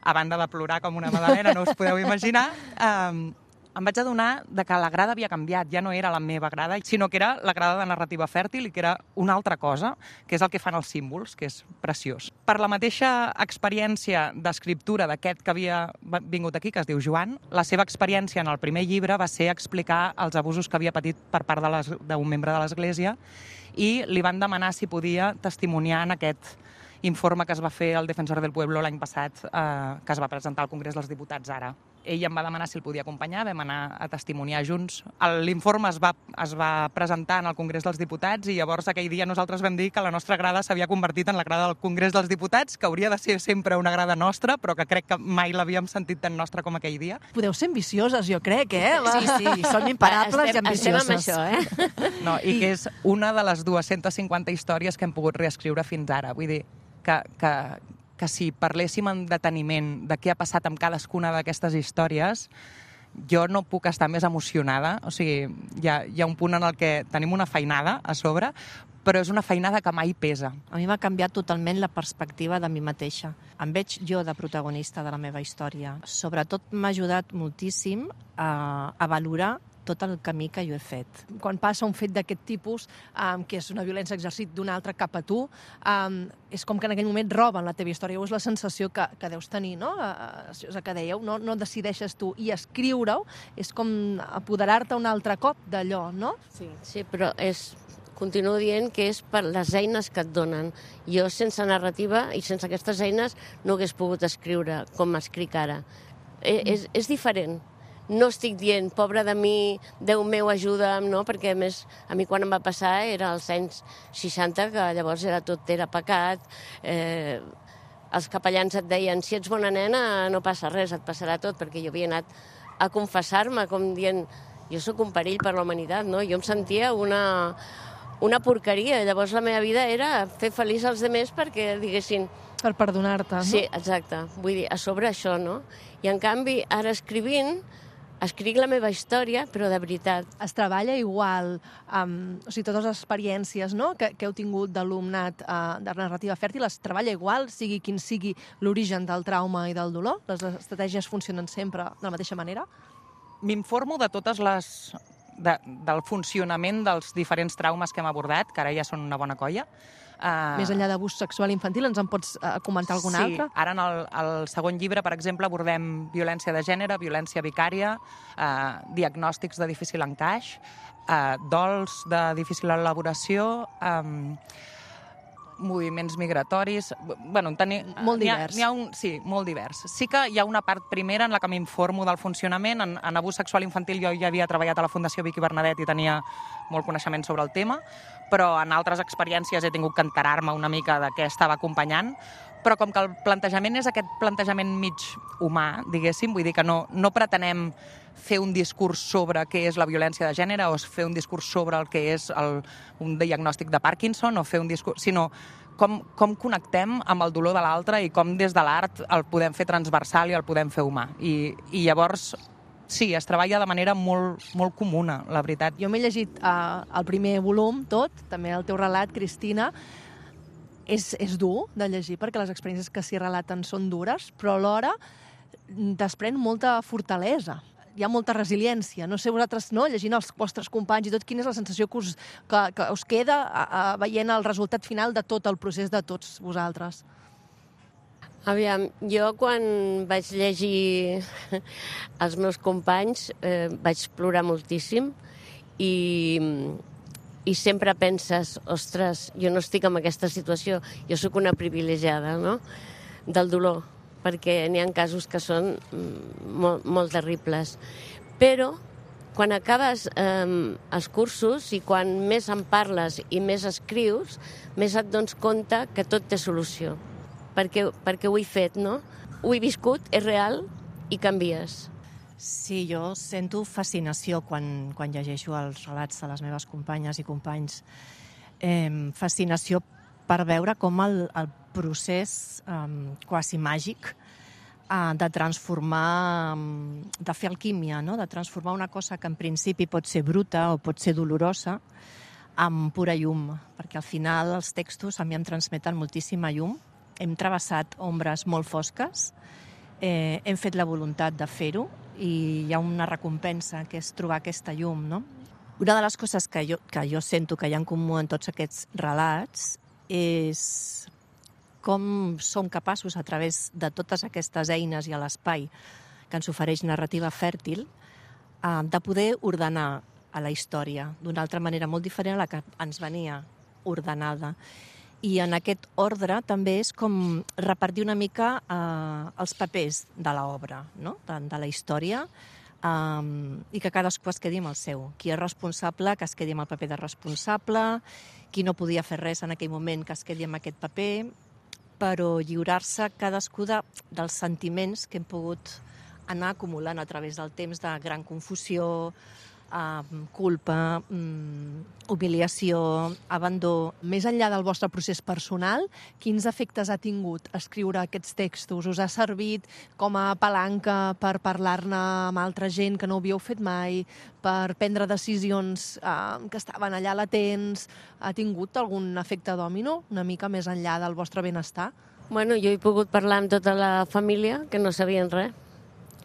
a banda de plorar com una magdalena, no us podeu imaginar, eh, em vaig adonar de que la grada havia canviat, ja no era la meva grada, sinó que era la grada de narrativa fèrtil i que era una altra cosa, que és el que fan els símbols, que és preciós. Per la mateixa experiència d'escriptura d'aquest que havia vingut aquí, que es diu Joan, la seva experiència en el primer llibre va ser explicar els abusos que havia patit per part d'un membre de l'Església i li van demanar si podia testimoniar en aquest informe que es va fer al Defensor del Pueblo l'any passat, eh, que es va presentar al Congrés dels Diputats ara. Ell em va demanar si el podia acompanyar, vam anar a testimoniar junts. L'informe es va, es va presentar en el Congrés dels Diputats i llavors aquell dia nosaltres vam dir que la nostra grada s'havia convertit en la grada del Congrés dels Diputats, que hauria de ser sempre una grada nostra, però que crec que mai l'havíem sentit tan nostra com aquell dia. Podeu ser ambicioses, jo crec, eh? Sí, sí. Som imparables estem, i ambicioses. Estem amb això, eh? No, i, I que és una de les dues-centes cinquanta històries que hem pogut reescriure fins ara. Vull dir, que, que, que si parléssim en deteniment de què ha passat amb cadascuna d'aquestes històries, jo no puc estar més emocionada. O sigui, hi ha, hi ha un punt en el que tenim una feinada a sobre, però és una feinada que mai pesa. A mi m'ha canviat totalment la perspectiva de mi mateixa. Em veig jo de protagonista de la meva història. Sobretot m'ha ajudat moltíssim a, a valorar tot el camí que jo he fet. Quan passa un fet d'aquest tipus, um, que és una violència exercit d'un altre cap a tu, um, és com que en aquell moment roben la teva història. És la sensació que, que deus tenir, no? Uh, que dèieu, no, no decideixes tu. I escriure-ho és com apoderar-te un altre cop d'allò, no? Sí, sí, però és... Continuo dient que és per les eines que et donen. Jo, sense narrativa i sense aquestes eines, no hagués pogut escriure com escric ara. Mm. És, és diferent. No estic dient, pobre de mi, Déu meu, ajuda'm, no? Perquè, a més, a mi quan em va passar era als anys seixanta, que llavors era tot era pecat. Eh, els capellans et deien, si ets bona nena, no passa res, et passarà tot, perquè jo havia anat a confessar-me, com dient, jo sóc un perill per la humanitat, no? Jo em sentia una... una porqueria. Llavors la meva vida era fer feliç als altres perquè diguessin... Per perdonar-te, no? Sí, exacte. Vull dir, a sobre això, no? I en canvi, ara escrivint, escric la meva història, però de veritat. Es treballa igual, amb, o sigui, totes les experiències, no?, que, que heu tingut d'alumnat uh, de narrativa fèrtil, es treballa igual, sigui quin sigui l'origen del trauma i del dolor? Les estratègies funcionen sempre de la mateixa manera? M'informo de totes les... De, del funcionament dels diferents traumes que hem abordat, que ara ja són una bona colla. Uh... Més enllà d'abús sexual infantil, ens en pots uh, comentar algun sí, altre? Sí, ara en el, el segon llibre, per exemple, abordem violència de gènere, violència vicària, uh, diagnòstics de difícil encaix, uh, dols de difícil elaboració, um, moviments migratoris... Bueno, teni... Molt divers. N'hi ha, n'hi ha un... Sí, molt divers. Sí que hi ha una part primera en la que m'informo del funcionament. En, en abús sexual infantil jo ja havia treballat a la Fundació Vicky Bernadet i tenia molt coneixement sobre el tema, però en altres experiències he tingut que enterar-me una mica de què estava acompanyant, però com que el plantejament és aquest plantejament mig humà, diguéssim, vull dir que no, no pretenem fer un discurs sobre què és la violència de gènere o fer un discurs sobre el que és el, un diagnòstic de Parkinson o fer un discurs... sinó com, com connectem amb el dolor de l'altre i com des de l'art el podem fer transversal i el podem fer humà. I, i llavors, sí, es treballa de manera molt, molt comuna, la veritat. Jo m'he llegit uh, el primer volum, tot, també el teu relat, Cristina. És, és dur de llegir perquè les experiències que s'hi relaten són dures, però alhora desprèn molta fortalesa. Hi ha molta resiliència. No sé vosaltres, no, llegint els vostres companys i tot, quina és la sensació que us, que, que us queda a, a, veient el resultat final de tot el procés de tots vosaltres? Aviam, jo quan vaig llegir els meus companys eh, vaig plorar moltíssim i, i sempre penses, ostres, jo no estic en aquesta situació, jo sóc una privilegiada, no?, del dolor, perquè n'hi ha casos que són molt, molt terribles. Però quan acabes eh, els cursos i quan més en parles i més escrius, més et dones compte que tot té solució. Perquè, perquè ho he fet, no? Ho he viscut, és real i canvies. Sí, jo sento fascinació quan, quan llegeixo els relats de les meves companyes i companys. Eh, fascinació per veure com el, el procés eh, quasi màgic eh, de transformar, de fer alquímia, no? De transformar una cosa que en principi pot ser bruta o pot ser dolorosa amb pura llum, perquè al final els textos a mi em transmeten moltíssima llum. Hem travessat ombres molt fosques, eh, hem fet la voluntat de fer-ho i hi ha una recompensa que és trobar aquesta llum, no? Una de les coses que jo, que jo sento que hi ha en comú en tots aquests relats és com som capaços, a través de totes aquestes eines i a l'espai que ens ofereix narrativa fèrtil, eh, de poder ordenar a la història d'una altra manera molt diferent a la que ens venia ordenada. I en aquest ordre també és com repartir una mica eh, els papers de l'obra, no? de, de la història, Um, i que cadascú es quedi amb el seu. Qui és responsable, que es quedi amb el paper de responsable, qui no podia fer res en aquell moment, que es quedi amb aquest paper, però lliurar-se cadascú de, dels sentiments que hem pogut anar acumulant a través del temps de gran confusió, uh, culpa, um, humiliació, abandó. Més enllà del vostre procés personal, quins efectes ha tingut escriure aquests textos? Us ha servit com a palanca per parlar-ne amb altra gent que no havíeu fet mai, per prendre decisions eh, que estaven allà latents? Ha tingut algun efecte dòmino, una mica més enllà del vostre benestar? Bueno, jo he pogut parlar amb tota la família, que no sabien res.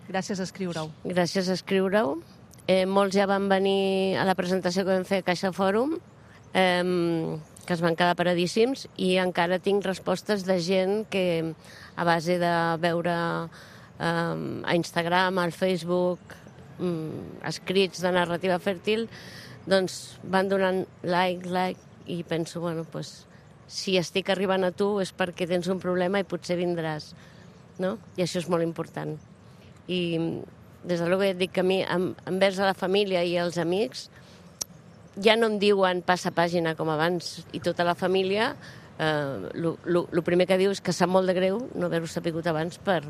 Gràcies a escriure-ho. Gràcies a escriure-ho. Eh, molts ja van venir a la presentació que vam fer a Caixa Fòrum, eh, que es van quedar paradíssims, i encara tinc respostes de gent que a base de veure eh, a Instagram, al Facebook, eh, escrits de narrativa fèrtil, doncs van donant like, like, i penso, bueno, doncs, si estic arribant a tu és perquè tens un problema i potser vindràs, no? I això és molt important. I des de l'hora et dic que a mi, envers a la família i als amics, ja no em diuen passa pàgina com abans, i tota la família, el primer que diu és que sap molt de greu no haver-ho sapigut abans per,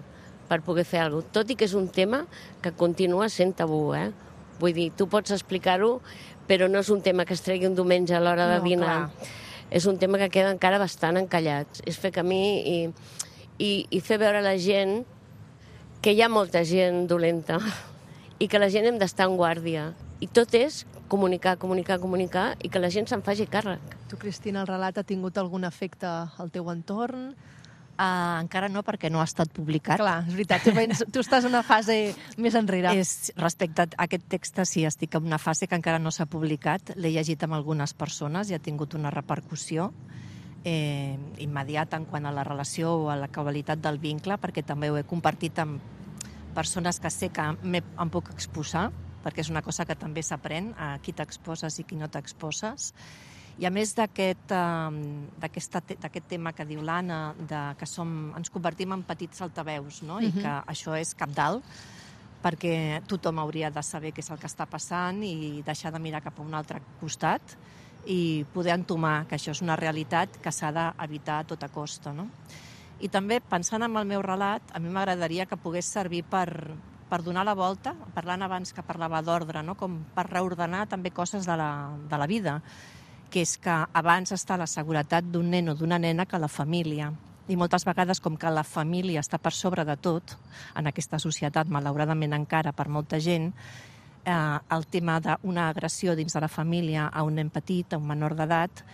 per poder fer alguna cosa. Tot i que és un tema que continua sent tabú, eh? Vull dir, tu pots explicar-ho, però no és un tema que es tregui un diumenge a l'hora de No, dinar. clar. És un tema que queda encara bastant encallats. És fer camí i, i, i fer veure a la gent que hi ha molta gent dolenta i que la gent hem d'estar en guàrdia. I tot és comunicar, comunicar, comunicar i que la gent se'n faci càrrec. Tu, Cristina, el relat ha tingut algun efecte al teu entorn? Uh, encara no, perquè no ha estat publicat. Clar, és veritat, tu, vens, tu estàs en una fase més enrere. És, respecte a aquest text, sí, estic en una fase que encara no s'ha publicat. L'he llegit amb algunes persones i ha tingut una repercussió eh, immediata en quant a la relació o a la causalitat del vincle, perquè també ho he compartit amb persones que sé que em puc exposar, perquè és una cosa que també s'aprèn, a qui t'exposes i qui no t'exposes. I a més d'aquest d'aquest tema que diu l'Anna, que som, ens convertim en petits altaveus, no? I que això és cabdal, perquè tothom hauria de saber què és el que està passant i deixar de mirar cap a un altre costat i poder entomar que això és una realitat que s'ha d'evitar a tota costa, no? I també, pensant en el meu relat, a mi m'agradaria que pogués servir per, per donar la volta, parlant abans que parlava d'ordre, no? Com per reordenar també coses de la, de la vida, que és que abans està la seguretat d'un nen o d'una nena que la família. I moltes vegades, com que la família està per sobre de tot, en aquesta societat, malauradament encara per molta gent, eh, el tema d'una agressió dins de la família a un nen petit, a un menor d'edat,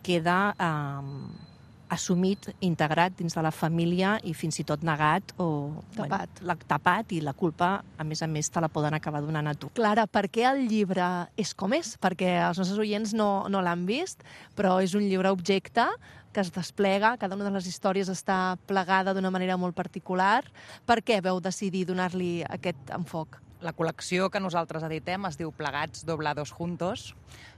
queda eh, assumit, integrat dins de la família i fins i tot negat o tapat. Bueno, la, tapat i la culpa, a més a més, te la poden acabar donant a tu. Clara, per què el llibre és com és? Perquè els nostres oients no, no l'han vist, però és un llibre objecte que es desplega, cada una de les històries està plegada d'una manera molt particular. Per què veu decidir donar-li aquest enfoc? La col·lecció que nosaltres editem es diu Plegats doblados juntos,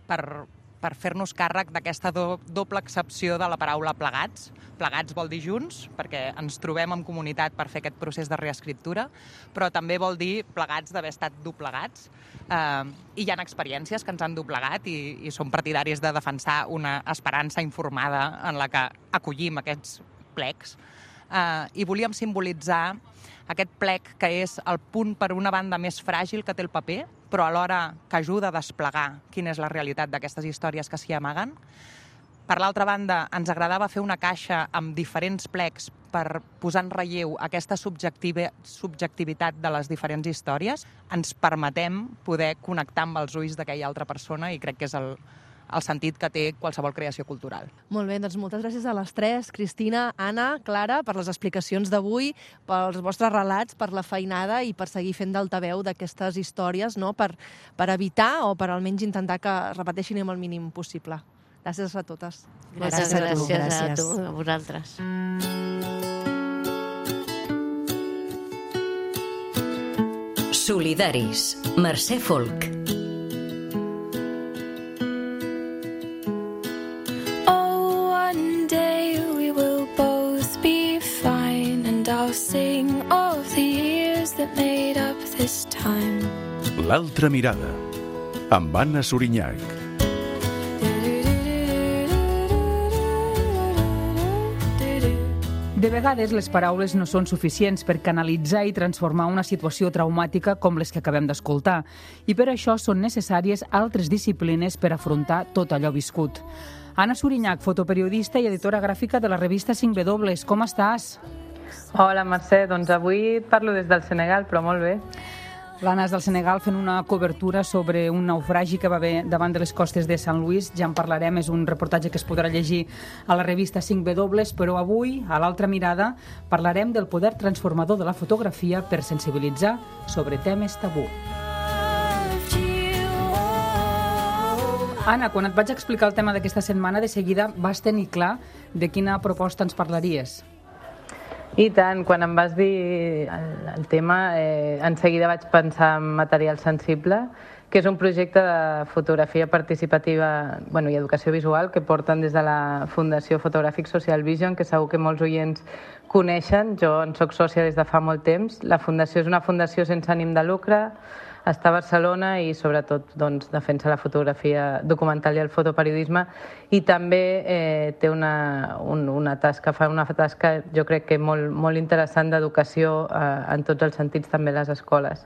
per per fer-nos càrrec d'aquesta do, doble accepció de la paraula plegats. Plegats vol dir junts, perquè ens trobem en comunitat per fer aquest procés de reescriptura, però també vol dir plegats d'haver estat doblegats. Eh, I hi ha experiències que ens han doblegat i, i som partidaris de defensar una esperança informada en la que acollim aquests plecs. Eh, I volíem simbolitzar aquest plec que és el punt, per una banda, més fràgil que té el paper, però alhora que ajuda a desplegar quina és la realitat d'aquestes històries que s'hi amaguen. Per l'altra banda, ens agradava fer una caixa amb diferents plecs per posar en relleu aquesta subjectivitat de les diferents històries. Ens permetem poder connectar amb els ulls d'aquella altra persona i crec que és el, el sentit que té qualsevol creació cultural. Molt bé, doncs moltes gràcies a les tres, Cristina, Anna, Clara, per les explicacions d'avui, pels vostres relats, per la feinada i per seguir fent d'altaveu d'aquestes històries, no? per, per evitar o per almenys intentar que es repeteixin amb el mínim possible. Gràcies a totes. Gràcies, gràcies, gràcies a tu, a vosaltres. Solidaris, Mercè Folk. L'altra mirada, amb Anna Sorinyac. De vegades les paraules no són suficients per canalitzar i transformar una situació traumàtica com les que acabem d'escoltar, i per això són necessàries altres disciplines per afrontar tot allò viscut. Anna Sorinyac, fotoperiodista i editora gràfica de la revista cinc W, com estàs? Hola, Mercè, doncs avui parlo des del Senegal, però molt bé. L'Anna és del Senegal fent una cobertura sobre un naufragi que va haver davant de les costes de Sant Louis. Ja en parlarem, és un reportatge que es podrà llegir a la revista cinc W, però avui, a l'altra mirada, parlarem del poder transformador de la fotografia per sensibilitzar sobre temes tabú. Anna, quan et vaig explicar el tema d'aquesta setmana, de seguida vas tenir clar de quina proposta ens parlaries. I tant, quan em vas dir el, el tema, eh, en seguida vaig pensar en Material Sensible, que és un projecte de fotografia participativa, bueno, i educació visual que porten des de la Fundació Fotogràfic Social Vision, que segur que molts oients coneixen. Jo en soc sòcia des de fa molt temps. La fundació és una fundació sense ànim de lucre, està a Barcelona i sobretot doncs, defensa la fotografia documental i el fotoperiodisme, i també eh, té una, un, una tasca, fa una tasca jo crec que molt, molt interessant d'educació eh, en tots els sentits, també a les escoles.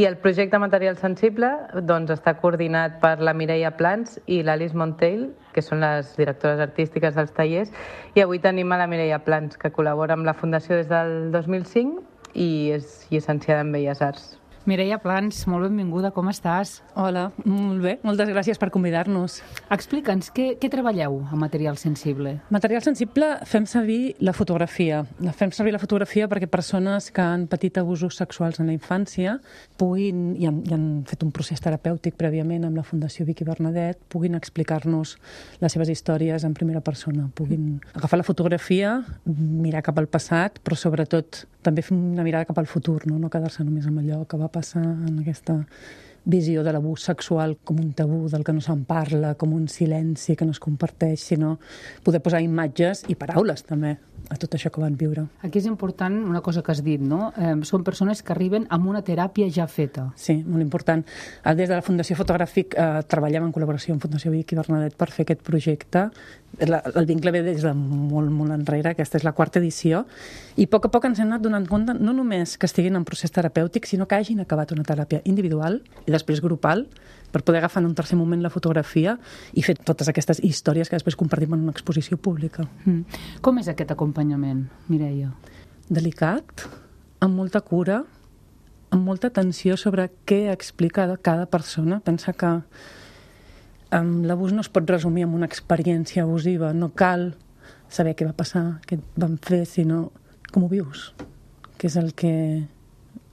I el projecte Material Sensible doncs, està coordinat per la Mireia Plans i l'Alice Monteil, que són les directores artístiques dels tallers, i avui tenim a la Mireia Plans, que col·labora amb la Fundació des del dos mil cinc i és llicenciada en Belles Arts. Mireia Plans, molt benvinguda, com estàs? Hola, molt bé, moltes gràcies per convidar-nos. Explica'ns, què, què treballeu a Material Sensible? Material Sensible fem servir la fotografia. Fem servir la fotografia perquè persones que han patit abusos sexuals en la infància puguin, i han, i han fet un procés terapèutic prèviament amb la Fundació Vicky Bernadet, puguin explicar-nos les seves històries en primera persona, puguin agafar la fotografia, mirar cap al passat, però sobretot també fer una mirada cap al futur, no, no quedar-se només amb allò que va passar en aquesta visió de l'abús sexual com un tabú del que no se'n parla, com un silenci que no es comparteix, sinó poder posar imatges i paraules també a tot això que van viure. Aquí és important una cosa que has dit, no? Eh, són persones que arriben amb una teràpia ja feta. Sí, molt important. Des de la Fundació Fotogràfic eh, treballem en col·laboració amb Fundació Vicky Bernadet per fer aquest projecte. La, el vincle ve des de molt, molt enrere, aquesta és la quarta edició, i a poc a poc ens hem anat donant compte no només que estiguin en procés terapèutic, sinó que hagin acabat una teràpia individual i després grupal, per poder agafar en un tercer moment la fotografia i fer totes aquestes històries que després compartim en una exposició pública. Mm. Com és aquest acompanyament, Mireia? Delicat, amb molta cura, amb molta atenció sobre què explica cada persona. Pensa que um, l'abús no es pot resumir en una experiència abusiva. No cal saber què va passar, què van fer, sinó com ho vius, què és el que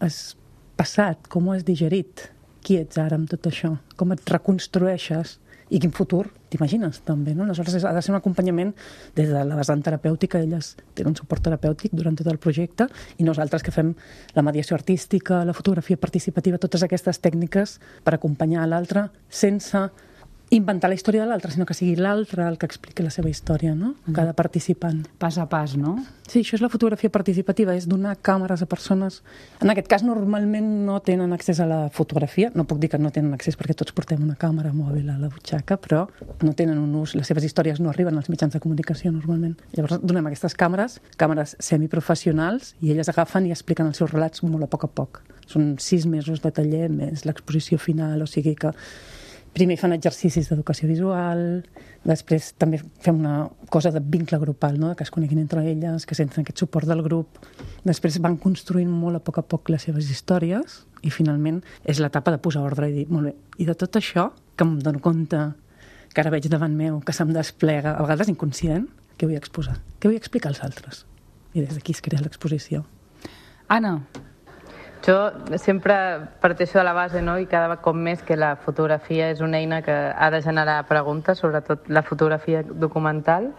has passat, com ho has digerit, qui ets ara amb tot això, com et reconstrueixes i quin futur t'imagines també, no? Aleshores ha de ser un acompanyament des de la vessant terapèutica, elles tenen un suport terapèutic durant tot el projecte i nosaltres que fem la mediació artística, la fotografia participativa, totes aquestes tècniques per acompanyar l'altre sense inventar la història de l'altre, sinó que sigui l'altre el que expliqui la seva història, no? Cada participant. Pas a pas, no? Sí, això és la fotografia participativa, és donar càmeres a persones. En aquest cas, normalment no tenen accés a la fotografia. No puc dir que no tenen accés perquè tots portem una càmera mòbil a la butxaca, però no tenen un ús, les seves històries no arriben als mitjans de comunicació normalment. Llavors donem aquestes càmeres, càmeres semiprofessionals, i elles agafen i expliquen els seus relats molt a poc a poc. Són sis mesos de taller més l'exposició final, o sigui que primer fan exercicis d'educació visual, després també fem una cosa de vincle grupal, no? Que es coneguin entre elles, que senten aquest suport del grup. Després van construint molt a poc a poc les seves històries i finalment és l'etapa de posar ordre i dir, molt bé, i de tot això, que em dono compte, que ara veig davant meu, que se'm desplega, a vegades inconscient, què vull exposar? Què vull explicar als altres? I des d'aquí es crea l'exposició. Anna. Jo sempre parteixo de la base, no? I cada cop més que la fotografia és una eina que ha de generar preguntes, sobretot la fotografia documental,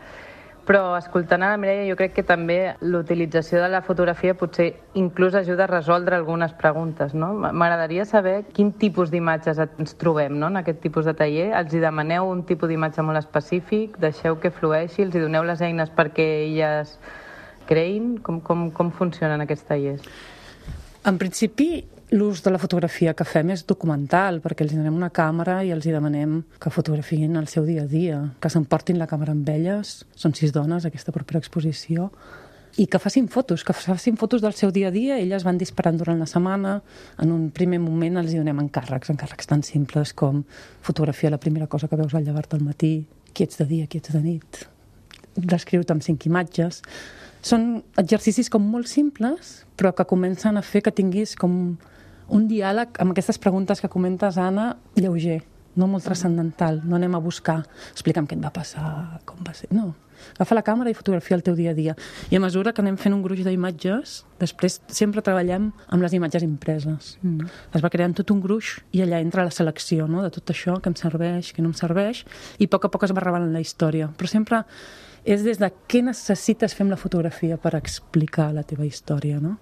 però escoltant a la Mireia jo crec que també l'utilització de la fotografia potser inclús ajuda a resoldre algunes preguntes, no? M'agradaria saber quin tipus d'imatges ens trobem, no? En aquest tipus de taller. Els hi demaneu un tipus d'imatge molt específic, deixeu que flueixi, els hi doneu les eines perquè elles creïn? Com, com, com funcionen aquests tallers? En principi, l'ús de la fotografia que fem és documental, perquè els donem una càmera i els demanem que fotografien el seu dia a dia, que s'emportin la càmera amb elles, són sis dones, aquesta propera exposició, i que facin fotos, que facin fotos del seu dia a dia, elles van disparant durant la setmana, en un primer moment els donem encàrrecs, encàrrecs tan simples com fotografia la primera cosa que veus al llevar-te al matí, qui ets de dia, qui ets de nit, descriu-te amb cinc imatges. Són exercicis com molt simples, però que comencen a fer que tinguis com un diàleg amb aquestes preguntes que comentes, Anna, lleuger, no molt transcendental. No anem a buscar, explica'm què et va passar, com va ser... No, agafa la càmera i fotografia el teu dia a dia. I a mesura que anem fent un gruix d'imatges, després sempre treballem amb les imatges impreses. Mm. Es va creant tot un gruix i allà entra la selecció, no?, de tot això que em serveix, que no em serveix, i a poc a poc es va revelant la història. Però sempre és des de què necessites fer amb la fotografia per explicar la teva història, no?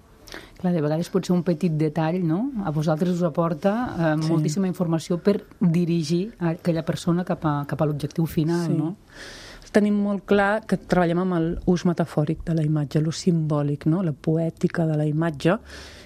Clar, de vegades pot ser un petit detall, no? A vosaltres us aporta eh, sí. moltíssima informació per dirigir a aquella persona cap a, cap a l'objectiu final, sí. no? Tenim molt clar que treballem amb l'ús metafòric de la imatge, l'ús simbòlic, no? La poètica de la imatge,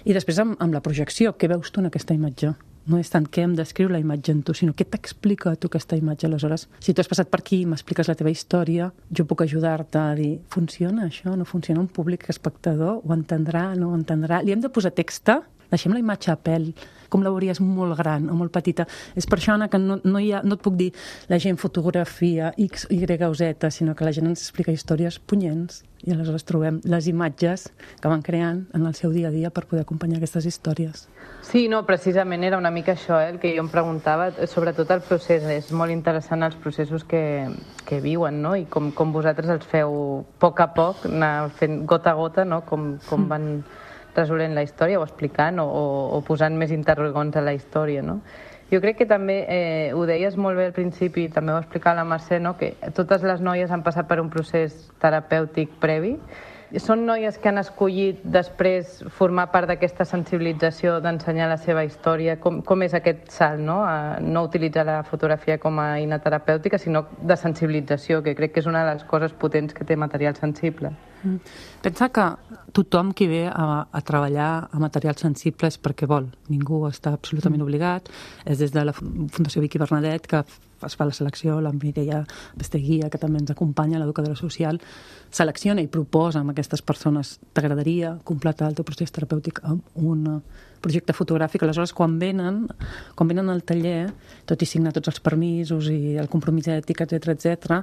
i després amb, amb la projecció, què veus tu en aquesta imatge? No és tant què em descriu la imatge en tu, sinó què t'explica a tu aquesta imatge. Aleshores, si tu has passat per aquí i m'expliques la teva història, jo puc ajudar-te a dir, funciona això, no funciona? Un públic espectador ho entendrà, no ho entendrà? Li hem de posar text, deixem la imatge a pèl, com la veuries molt gran o molt petita. És per això, Anna, que no, no, hi ha, no et puc dir la gent fotografia X, Y o Z, sinó que la gent ens explica històries punyents i aleshores trobem les imatges que van creant en el seu dia a dia per poder acompanyar aquestes històries. Sí, no, precisament era una mica això, eh, el que jo em preguntava, sobretot el procés. És molt interessant els processos que, que viuen, no? I com, com vosaltres els feu a poc a poc, anar fent gota a gota, no? Com, com van resolent la història o explicant o, o, o posant més interrogants a la història, no? Jo crec que també, eh, ho deies molt bé al principi, també ho va explicar la Mercè, no? Que totes les noies han passat per un procés terapèutic previ. Són noies que han escollit després formar part d'aquesta sensibilització d'ensenyar la seva història. Com, com és aquest salt, no? A no utilitzar la fotografia com a eina terapèutica, sinó de sensibilització, que crec que és una de les coses potents que té material sensible. Mm. Pensa que tothom qui ve a, a treballar a material sensible és perquè vol. Ningú està absolutament mm. obligat. És des de la Fundació Vicky Bernadet que es fa la selecció, la Mireia Besteguia, que també ens acompanya, l'educadora social, selecciona i proposa amb aquestes persones: t'agradaria completar el teu procés terapèutic amb un projecte fotogràfic. Aleshores, quan venen, quan venen al taller, tot i signar tots els permisos i el compromís ètic, etcètera, etcètera,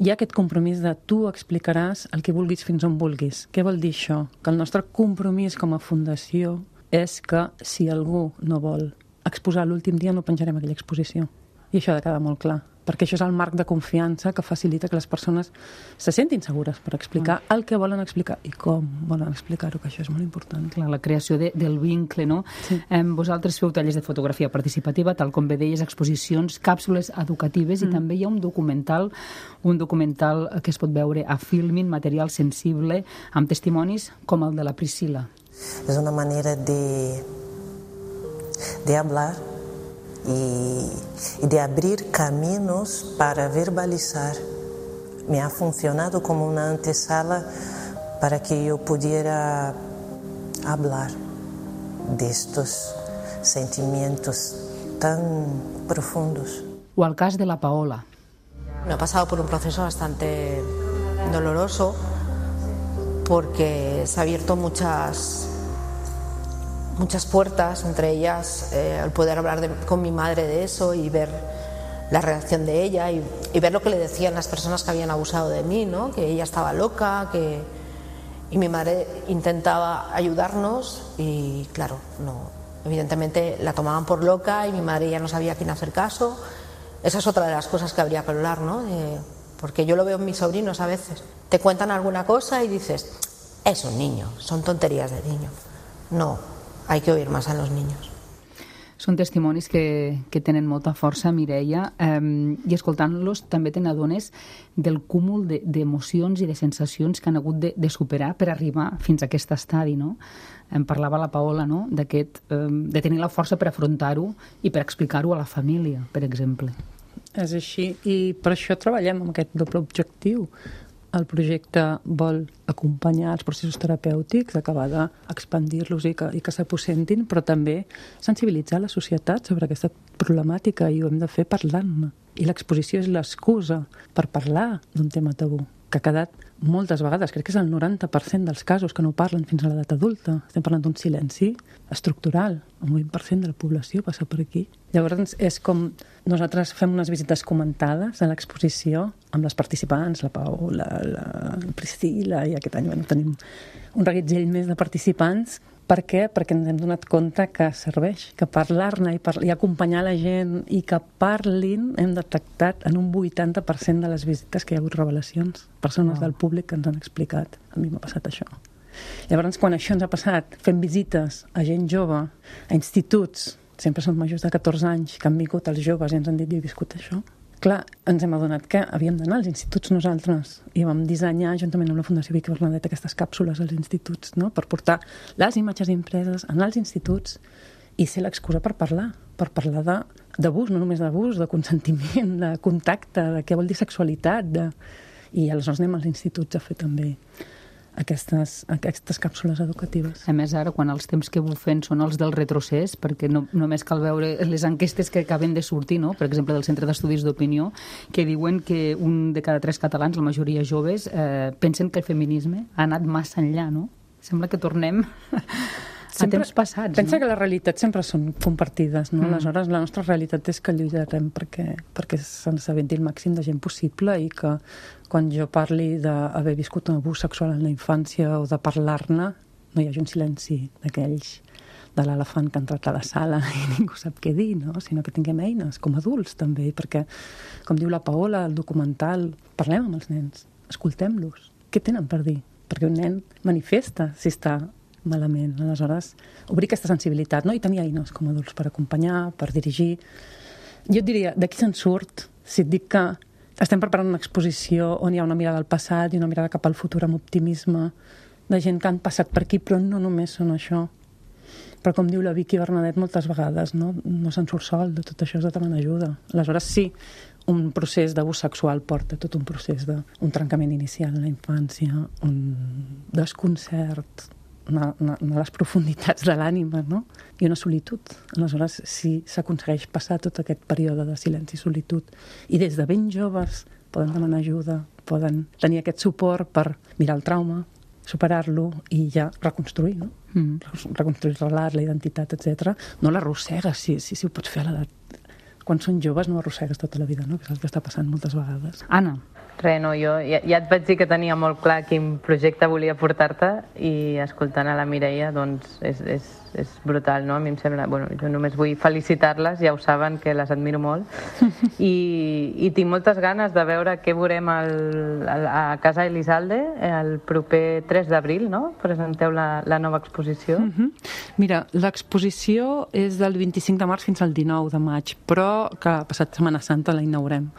hi ha aquest compromís de tu explicaràs el que vulguis fins on vulguis. Què vol dir això? Que el nostre compromís com a fundació és que si algú no vol exposar l'últim dia no penjarem aquella exposició. I això ha de quedar molt clar, perquè això és el marc de confiança que facilita que les persones se sentin segures per explicar mm. el que volen explicar i com volen explicar-ho, que això és molt important. Clar, la creació de, del vincle, no? Sí. Eh, vosaltres feu tallers de fotografia participativa, tal com bé deies, exposicions, càpsules educatives, mm. i també hi ha un documental, un documental que es pot veure a Filmin, material sensible, amb testimonis com el de la Priscila. És una manera de, de hablar y, y de abrir caminos para verbalizar. Me ha funcionado como una antesala para que yo pudiera hablar de estos sentimientos tan profundos. O al cas de la Paola. Me he pasado por un proceso bastante doloroso porque se ha abierto muchas muchas puertas, entre ellas eh, el poder hablar de, con mi madre de eso y ver la reacción de ella y, y ver lo que le decían las personas que habían abusado de mí, ¿no? Que ella estaba loca, que y mi madre intentaba ayudarnos y claro, no, evidentemente la tomaban por loca y mi madre ya no sabía a quién hacer caso. Esa es otra de las cosas que habría que hablar, ¿no? De, porque yo lo veo en mis sobrinos a veces. Te cuentan alguna cosa y dices, es un niño, son tonterías de niño. No, hay que oír más a los niños. Són testimonis que, que tenen molta força, Mireia, eh, i escoltant-los també te n'adones del cúmul d'emocions de, i de sensacions que han hagut de, de superar per arribar fins a aquest estadi, no? Em parlava la Paola, no?, d'aquest, eh, de tenir la força per afrontar-ho i per explicar-ho a la família, per exemple. És així, i per això treballem amb aquest doble objectiu. El projecte vol acompanyar els processos terapèutics, acabar d'expandir-los i que, i que s'aposentin, però també sensibilitzar la societat sobre aquesta problemàtica i ho hem de fer parlant-ne. I l'exposició és l'excusa per parlar d'un tema tabú, que ha quedat moltes vegades, crec que és el noranta per cent dels casos que no parlen fins a l'edat adulta. Estem parlant d'un silenci estructural. El vint per cent de la població passa per aquí. Llavors és com nosaltres fem unes visites comentades a l'exposició amb les participants, la Paola, la Priscila, i aquest any bueno, tenim un reguitzell més de participants. Per què? Perquè ens hem donat compte que serveix, que parlar-ne i, par i acompanyar la gent i que parlin, hem detectat en un vuitanta per cent de les visites que hi ha hagut revelacions. Persones oh. del públic que ens han explicat. A mi m'ha passat això. Llavors, quan això ens ha passat, fem visites a gent jove, a instituts, sempre són majors de catorze anys, que han vingut els joves i ens han dit, jo he viscut això. Clar, ens hem adonat que havíem d'anar als instituts nosaltres i vam dissenyar, juntament amb la Fundació Vicky Bernadet, aquestes càpsules als instituts, no?, per portar les imatges impreses en els instituts i ser l'excusa per parlar, per parlar d'abús, no només d'abús, de consentiment, de contacte, de què vol dir sexualitat, de... i aleshores anem als instituts a fer també aquestes, aquestes càpsules educatives. A més, ara, quan els temps que bufen són els del retrocés, perquè no, només cal veure les enquestes que acaben de sortir, no?, per exemple, del Centre d'Estudis d'Opinió, que diuen que un de cada tres catalans, la majoria joves, eh, pensen que el feminisme ha anat massa enllà, no? Sembla que tornem sempre, a temps passats. Pensa no? que les realitats sempre són compartides, no? Mm. Aleshores, la nostra realitat és que lluitarem perquè, perquè se'n s'aventi el màxim de gent possible i que quan jo parli d'haver viscut un abús sexual en la infància o de parlar-ne, no hi hagi un silenci d'aquells de l'elefant que ha entrat a la sala i ningú sap què dir, no? Sinó que tinguem eines com a adults també, perquè, com diu la Paola, el documental, parlem amb els nens, escoltem-los. Què tenen per dir? Perquè un nen manifesta si està malament. Aleshores, obrir aquesta sensibilitat, no? I tenir eines com a adults per acompanyar, per dirigir. Jo et diria, d'aquí se'n surt, si et dic que estem preparant una exposició on hi ha una mirada al passat i una mirada cap al futur amb optimisme, de gent que han passat per aquí, però no només són això. Però com diu la Vicky Bernadet moltes vegades, no, no se'n surt sol, de tot això has de demanar ajuda. Aleshores, sí, un procés d'abús sexual porta tot un procés d'un trencament inicial en la infància, un desconcert, una, una, una de les profunditats de l'ànima, no? I una solitud. Aleshores, si s'aconsegueix passar tot aquest període de silenci i solitud, i des de ben joves poden demanar ajuda, poden tenir aquest suport per mirar el trauma, superar-lo i ja reconstruir, no? Mm. Reconstruir el relat, la identitat, etcètera. No l'arrossegues, si, si, si ho pots fer a l'edat. Quan són joves no arrossegues tota la vida, no? Que és el que està passant moltes vegades. Anna. Res, no, jo ja, ja et vaig dir que tenia molt clar quin projecte volia portar-te i escoltant a la Mireia, doncs és, és, és brutal, no? A mi em sembla... Bueno, jo només vull felicitar-les, ja ho saben, que les admiro molt. I, i tinc moltes ganes de veure què veurem al, al, a Casa Elizalde el proper tres d'abril, no? Presenteu la, la nova exposició. Mm-hmm. Mira, l'exposició és del vint-i-cinc de març fins al dinou de maig, però que passat Setmana Santa la inaugurem.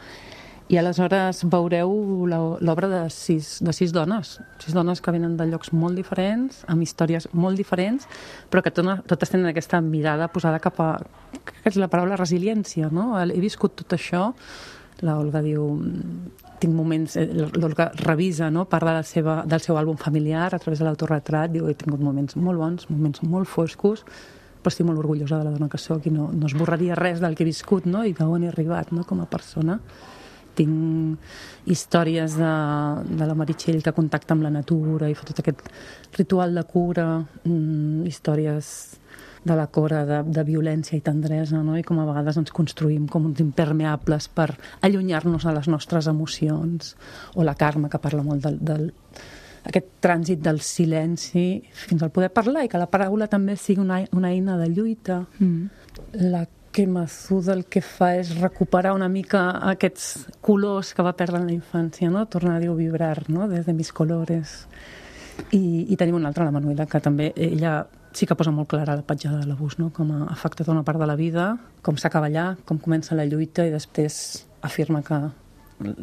I aleshores veureu l'obra de sis, de sis dones, sis dones que venen de llocs molt diferents, amb històries molt diferents, però que totes tenen aquesta mirada posada cap a, que és la paraula resiliència, no? He viscut tot això, la Olga diu, tinc moments, l'Olga revisa, no? Parla de seva, del seu àlbum familiar a través de l'autoretrat, diu, he tingut moments molt bons, moments molt foscos, però estic molt orgullosa de la dona que soc i no, no esborraria res del que he viscut, no? I d'on he arribat, no? Com a persona. Tinc històries de, de la Meritxell que contacta amb la natura i fa tot aquest ritual de cura, mm, històries de la Cora de, de violència i tendresa, no? I com a vegades ens construïm com uns impermeables per allunyar-nos de les nostres emocions, o la Carme, que parla molt del, del aquest trànsit del silenci fins al poder parlar i que la paraula també sigui una, una eina de lluita. Mm. La que Mazuda el que fa és recuperar una mica aquests colors que va perdre en la infància, no? Tornar a vibrar, no? Des de mis colores. I, i tenim una altra, la Manuela, que també ella sí que posa molt clara la petjada de l'abús, no? Com ha afectat una part de la vida, com s'acaba allà, com comença la lluita i després afirma que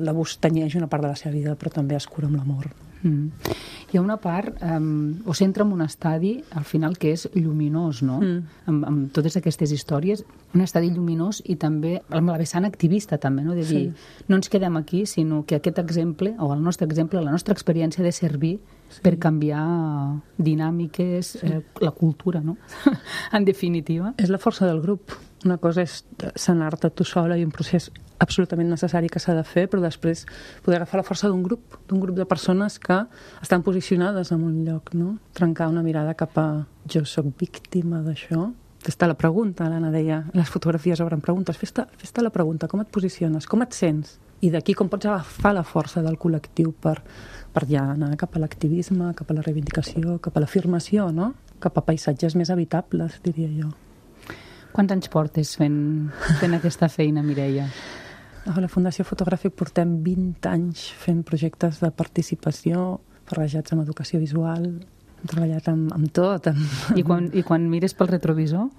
l'abús tenyeix una part de la seva vida, però també es cura amb l'amor. Mm. Hi ha una part, um, o s'entra en un estadi al final que és lluminós, no? Mm. Amb, amb totes aquestes històries, un estadi lluminós i també amb la vessant activista també, no? De dir, sí. No ens quedem aquí, sinó que aquest exemple, o el nostre exemple, la nostra experiència ha de servir sí. per canviar dinàmiques, sí. eh, la cultura, no? En definitiva. És la força del grup. Una cosa és sanar-te tu sola i un procés absolutament necessari que s'ha de fer, però després poder agafar la força d'un grup, d'un grup de persones que estan posicionades en un lloc, no? Trencar una mirada cap a jo soc víctima d'això. Fes-te la pregunta, l'Anna deia, les fotografies obren preguntes, fes-te fes-te la pregunta, com et posiciones, com et sents? I d'aquí com pots agafar la força del col·lectiu per, per ja anar cap a l'activisme, cap a la reivindicació, cap a l'afirmació, no? Cap a paisatges més habitables, diria jo. Quants anys portes fent, fent aquesta feina, Mireia? A la Fundació Fotogràfic portem vint anys fent projectes de participació barrejats amb educació visual. Hem treballat amb, amb tot. Amb... I, quan, I quan mires pel retrovisor?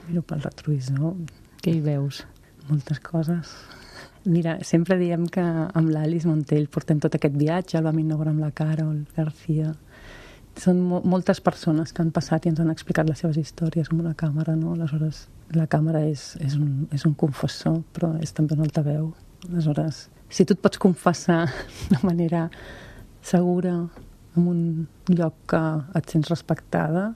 Miro pel retrovisor. Què hi veus? Moltes coses. Mira, sempre diem que amb l'Alice Montell portem tot aquest viatge, el vam inaugurar amb la Carol García. Són mo moltes persones que han passat i ens han explicat les seves històries amb una càmera, no? Aleshores, la càmera és, és, un, és un confessor, però és també un altaveu. Aleshores, si tu et pots confessar de manera segura en un lloc que et sents respectada,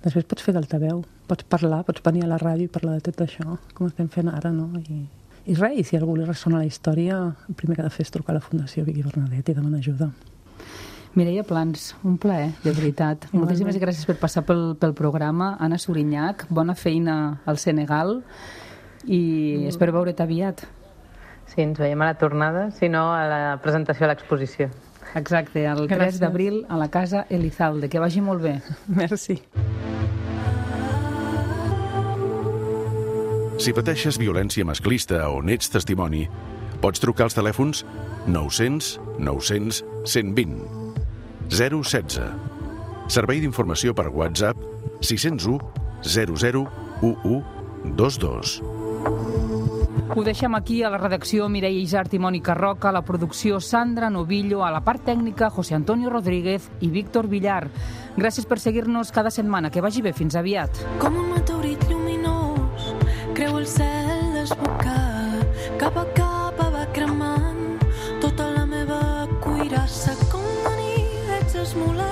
després pots fer d'altaveu, pots parlar, pots venir a la ràdio i parlar de tot això, com estem fent ara, no? I, i res, i si algú li ressona la història, el primer que ha de fer és trucar a la Fundació Vicky Bernadet i demanar ajuda. Mireia Plans, un plaer, de veritat. Moltíssimes gràcies per passar pel, pel programa. Anna Surinyac, bona feina al Senegal i espero veure't aviat. Sí, ens veiem a la tornada, si no a la presentació a l'exposició. Exacte, el tres d'abril a la Casa Elizalde. Que vagi molt bé. Merci. Si pateixes violència masclista o n'ets testimoni, pots trucar als telèfons nou-cents nou-cents cent vint, zero setze. Servei d'informació per WhatsApp sis zero u zero zero u u dos dos. Ho deixem aquí a la redacció Mireia Isart i Mònica Roca, a la producció Sandra Novillo, a la part tècnica José Antonio Rodríguez i Víctor Villar. Gràcies per seguir-nos cada setmana. Que vagi bé. Fins aviat. Com un meteorit lluminós, creu el cel desbocat, cap a cap va cremant tota la meva cuirassa. Com la nit ets esmolat